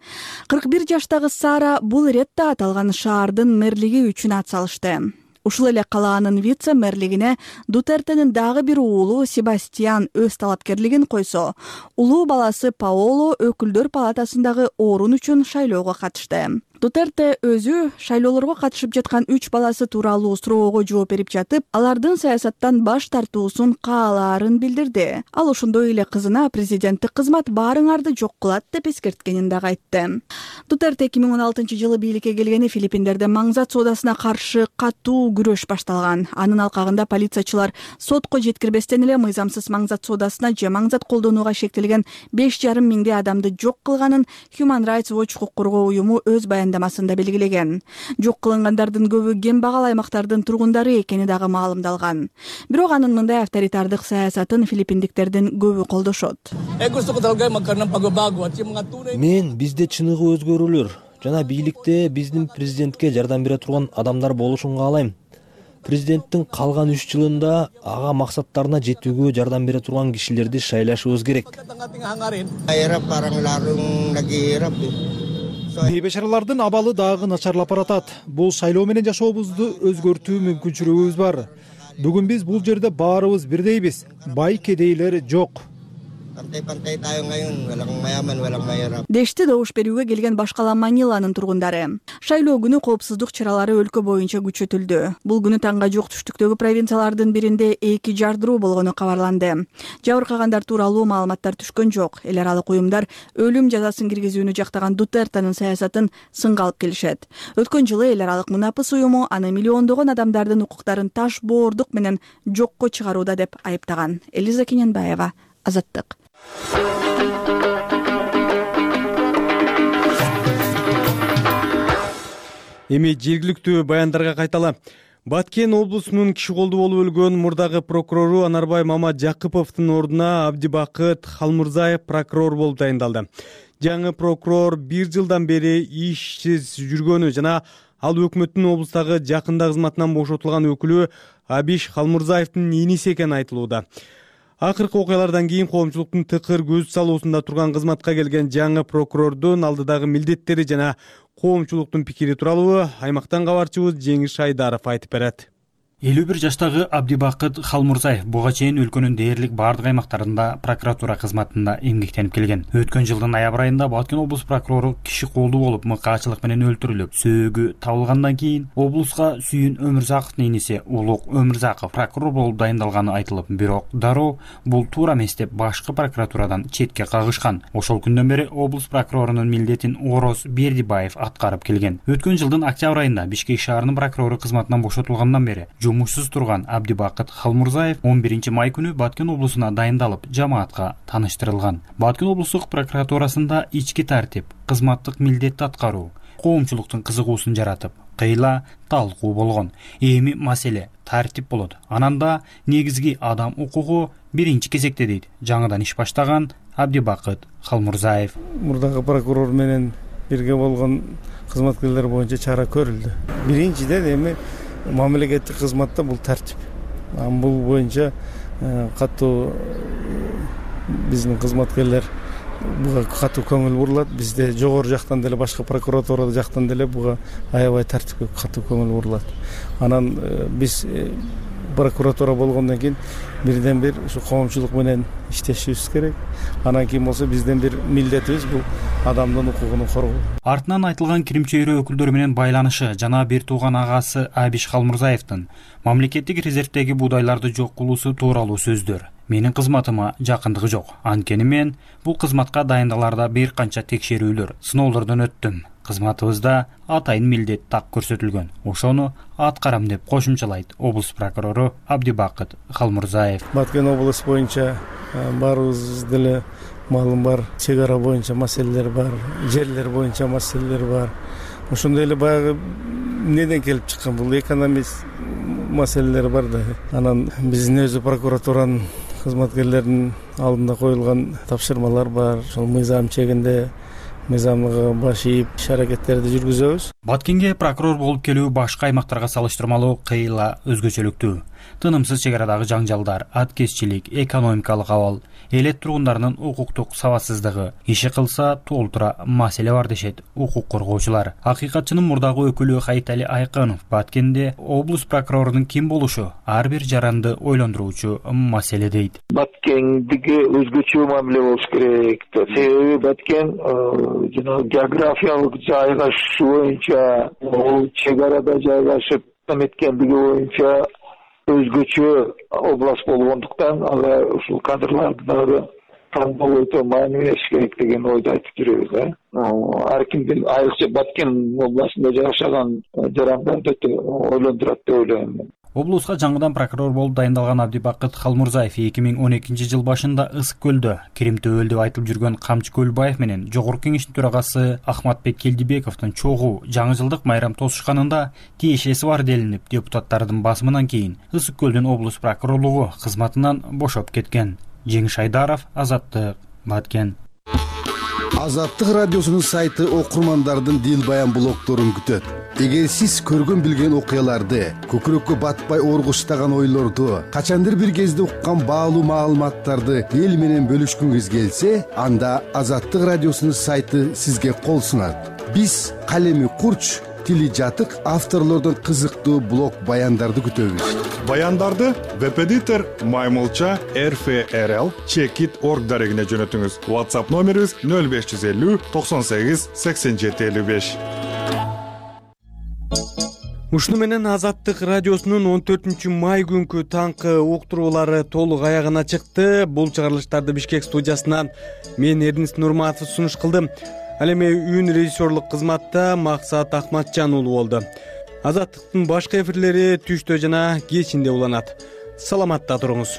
кырк бир жаштагы Сара бул иретте аталган шаардын мэрлиги үчүн ат салышты. Ушул эле калаанын вице-мэрлигине Дутертенин дагы бир уулу Себастьян өз талапкерлигин койсо, улуу баласы Паоло өкүлдөр палатасындагы орун үчүн шайлоого катышты. Дутерте өзү шайлоолорго катышып жаткан үч баласы тууралуу суроого жооп берип жатып, алардын саясаттан баш тартуусун каалаарын билдирди. Ал ошондой эле кызына президенттик кызмат баарыңарды жок кылат деп эскерткенин дагы айтты. Дутерте эки миң он алтынчы жылы бийликке келгени Филиппиндерде маңзат соодасына каршы катуу күрөш башталган. Анын алкагында полициячылар сотко жеткирбестен эле мыйзамсыз маңзат соодасына же маңзат колдонууга шектелген беш жарым миңдей адамды жок кылганын Human Rights Watch укук коргоо уюму өз баяндамасында белгилеген. Жок кылынгандардын көбү кем багал аймактардын тургундары экени дагы маалымдалган. Бирок анын мындай авторитардык саясатын филиппиндиктердин көбү колдошот. Мен бизде чыныгы өзгөрүүлөр жана бийликте биздин президентке жардам бере турган адамдар болушун каалайм. Президенттин калган үч жылында ага максаттарына жетүүгө жардам бере турган кишилерди шайлашыбыз керек. Бейбешаралардын абалы дагы начарлап баратат. Бул шайлоо менен жашообузду өзгөртүү мүмкүнчүлүгүбүз бар. Бүгүн биз бул жерде баарыбыз бирдейбиз. Бай кедейлер жок. Дешти добуш берүүгө келген башкала Маниланын тургундары. Шайлоо күнү коопсуздук чаралары өлкө боюнча күчөтүлдү. Бул күнү таңга жук түштүктөгү провинциялардын биринде эки жардыруу болгону кабарланды. Жабыркагандар тууралуу маалыматтар түшкөн жок. Эл аралык уюмдар өлүм жазасын киргизүүнү жактаган Дутертенин саясатын сынга алып келишет. Өткөн жылы эл аралык Мунапыс уюму аны миллиондогон адамдардын укуктарын таш боордук менен жокко чыгарууда деп айыптаган. Элиза Кененбаева, Азаттык. Эми жергиликтүү баяндарга кайталы. Баткен облусунун киши колду болуп өлгөн мурдагы прокурору Анарбай Мамаджакыповдун ордуна Абдибакыт Халмурзаев прокурор болуп дайындалды. Жаңы прокурор бир жылдан бери ишсиз жүргөнү жана ал өкмөттүн облустагы жакында кызматынан бошотулган өкүлү Абиш Халмурзаевдин иниси экени айтылууда. Акыркы окуялардан кийин коомчулуктун тыкыр көз салуусунда турган кызматка келген жаңы прокурордун алдыдагы милдеттери жана коомчулуктун пикири тууралуу аймактан кабарчыбыз Жеңиш Айдаров айтып берет. элүү бир жаштагы Абдибакыт Халмурзаев буга чейин өлкөнүн дээрлик бардык аймактарында прокуратура кызматында эмгектенип келген. Өткөн жылдын ноябрь айында Баткен облус прокурору киши колду болуп мыкаачылык менен өлтүрүлүп, сөөгү табылгандан кийин облуска Сүйүн Өмүрзаковдун иниси Улук Өмүрзаков прокурор болуп дайындалганы айтылып, бирок дароо бул туура эмес деп башкы прокуратурадан четке кагышкан. Ошол күндөн бери облус прокурорунун милдетин Ороз Бердибаев аткарып келген. Өткөн жылдын октябрь айында Бишкек шаарынын прокурору кызматынан бошотулгандан бери жумушсуз турган Абдибакыт Халмурзаев он биринчи май күнү Баткен облусуна дайындалып, жамаатка тааныштырылган. Баткен облустук прокуратурасында ички тартип, кызматтык милдетти аткаруу коомчулуктун кызыгуусун жаратып, кыйла талкуу болгон. Эми маселе тартип болот. Ананда негизги адам укугу биринчи кезекте дейт жаңыдан иш баштаган Абдибакыт Халмурзаев. Мурдагы прокурор менен бирге болгон кызматкерлер боюнча чара көрүлдү. Биринчиден эми мамлекеттик кызматта бул тартип. Бул боюнча катуу биздин кызматкерлер буга катуу көңүл бурулат. Бизде жогору жактан деле башка прокуратура жактан деле буга аябай тартипке катуу көңүл бурулат. Анан биз прокуратура болгондон кийин бирден бир ушу коомчулук менен иштешибиз керек. Анан кийин болсо бизден бир милдетибиз бул адамдын укугун коргоо. Артынан айтылган Крим чөйрө өкүлдөрү менен байланышы жана бир тууган агасы Абиш Халмурзаевдин мамлекеттик резервдеги буудайларды жок кылуусу тууралуу сөздөр менин кызматыма жакындыгы жок. Анткени мен бул кызматка дайындаларда бир канча текшерүүлөр, сыноолордон өттүм. Кызматыбызда атайын милдет так көрсөтүлгөн. Ошону аткарам деп кошумчалайт облус прокурору Абдибакыт Халмурзаев. Баткен облус боюнча баарыбыз деле маалым бар, чек ара боюнча маселелер бар, жерлер боюнча маселелер бар. Ошондой эле баягы эмнеден келип чыккан бул экономист маселелер бар да. Анан биздин өзү прокуратуранын кызматкерлеринин алдында коюлган тапшырмалар бар. Ошол мыйзам чегинде мыйзамга баш ийип иш аракеттерди жүргүзөбүз. Баткенге прокурор болуп келүү башка аймактарга салыштырмалуу кыйла өзгөчөлүктүү. Тынымсыз чек арадагы жаңжалдар, аткезчилик, экономикалык абал, элет тургундарынын укуктук сабатсыздыгы, иши кылса толтура маселе бар дешет укук коргоочулар. Акыйкатчынын мурдагы өкүлү Хайтали Айкынов Баткенде облус прокурорунун ким болушу ар бир жаранды ойлондуруучу маселе дейт. Баткендиги өзгөчө мамиле болуш керек. Себеби Баткен жана географиялык жайгашуу боюнча, чек арада жайгашып эметкендиги боюнча өзгөчө область болгондуктан ага ушул кадрларды дагы тандоо өтө маани бериш керек деген ойду айтып жүрөбүз. Ар кимдин айрыкча Баткен областында жашаган жарандарды өтө ойлондурат деп ойлойм мен. Облуска жаңыдан прокурор болуп дайындалган Абдибакыт Халмурзаев эки миң он экинчи жыл башында Ысык көлдө Крим төбөл деп айтылып жүргөн Камчы Көлбаев менен Жогорку Кеңештин төрагасы Ахматбек Келдибековдун чогуу жаңы жылдык майрам тосушканында тиешеси бар делинип, депутаттардын басымынан кийин Ысык көлдүн облус прокурорлугу кызматынан бошоп кеткен. Жеңиш Айдаров, Азаттык, Баткен. Азаттык радиосунун сайты окурмандардын дил баян блогдорун күтөт. Эгер сиз көргөн билген окуяларды, көкүрөккө батпай оргуштаган ойлорду, качандыр бир кезде уккан баалуу маалыматтарды эл менен бөлүшкүңүз келсе, анда Азаттык радиосунун сайты сизге кол сунат. Биз калеми курч, тили жатык авторлордон кызыктуу блог баяндарды күтөбүз. Баяндарды веб-эдитор маймылча эр эф эр эл чекит орг дарегине жөнөтүңүз. WhatsApp номерибиз нөл беш жүз элүү токсон сегиз сексен жети элүү беш. Ушуну менен Азаттык радиосунун он төртүнчү май күнкү таңкы уктуруулары толук аягына чыкты. Бул чыгарылыштарды Бишкек студиясынан мен Эрдинис Нурматов сунуш кылдым. Ал эми үн режиссерлук кызматта Максат Акматжан уулу болду. Азаттыктын башка эфирлери түштө жана кечинде уланат. Саламатта туруңуз.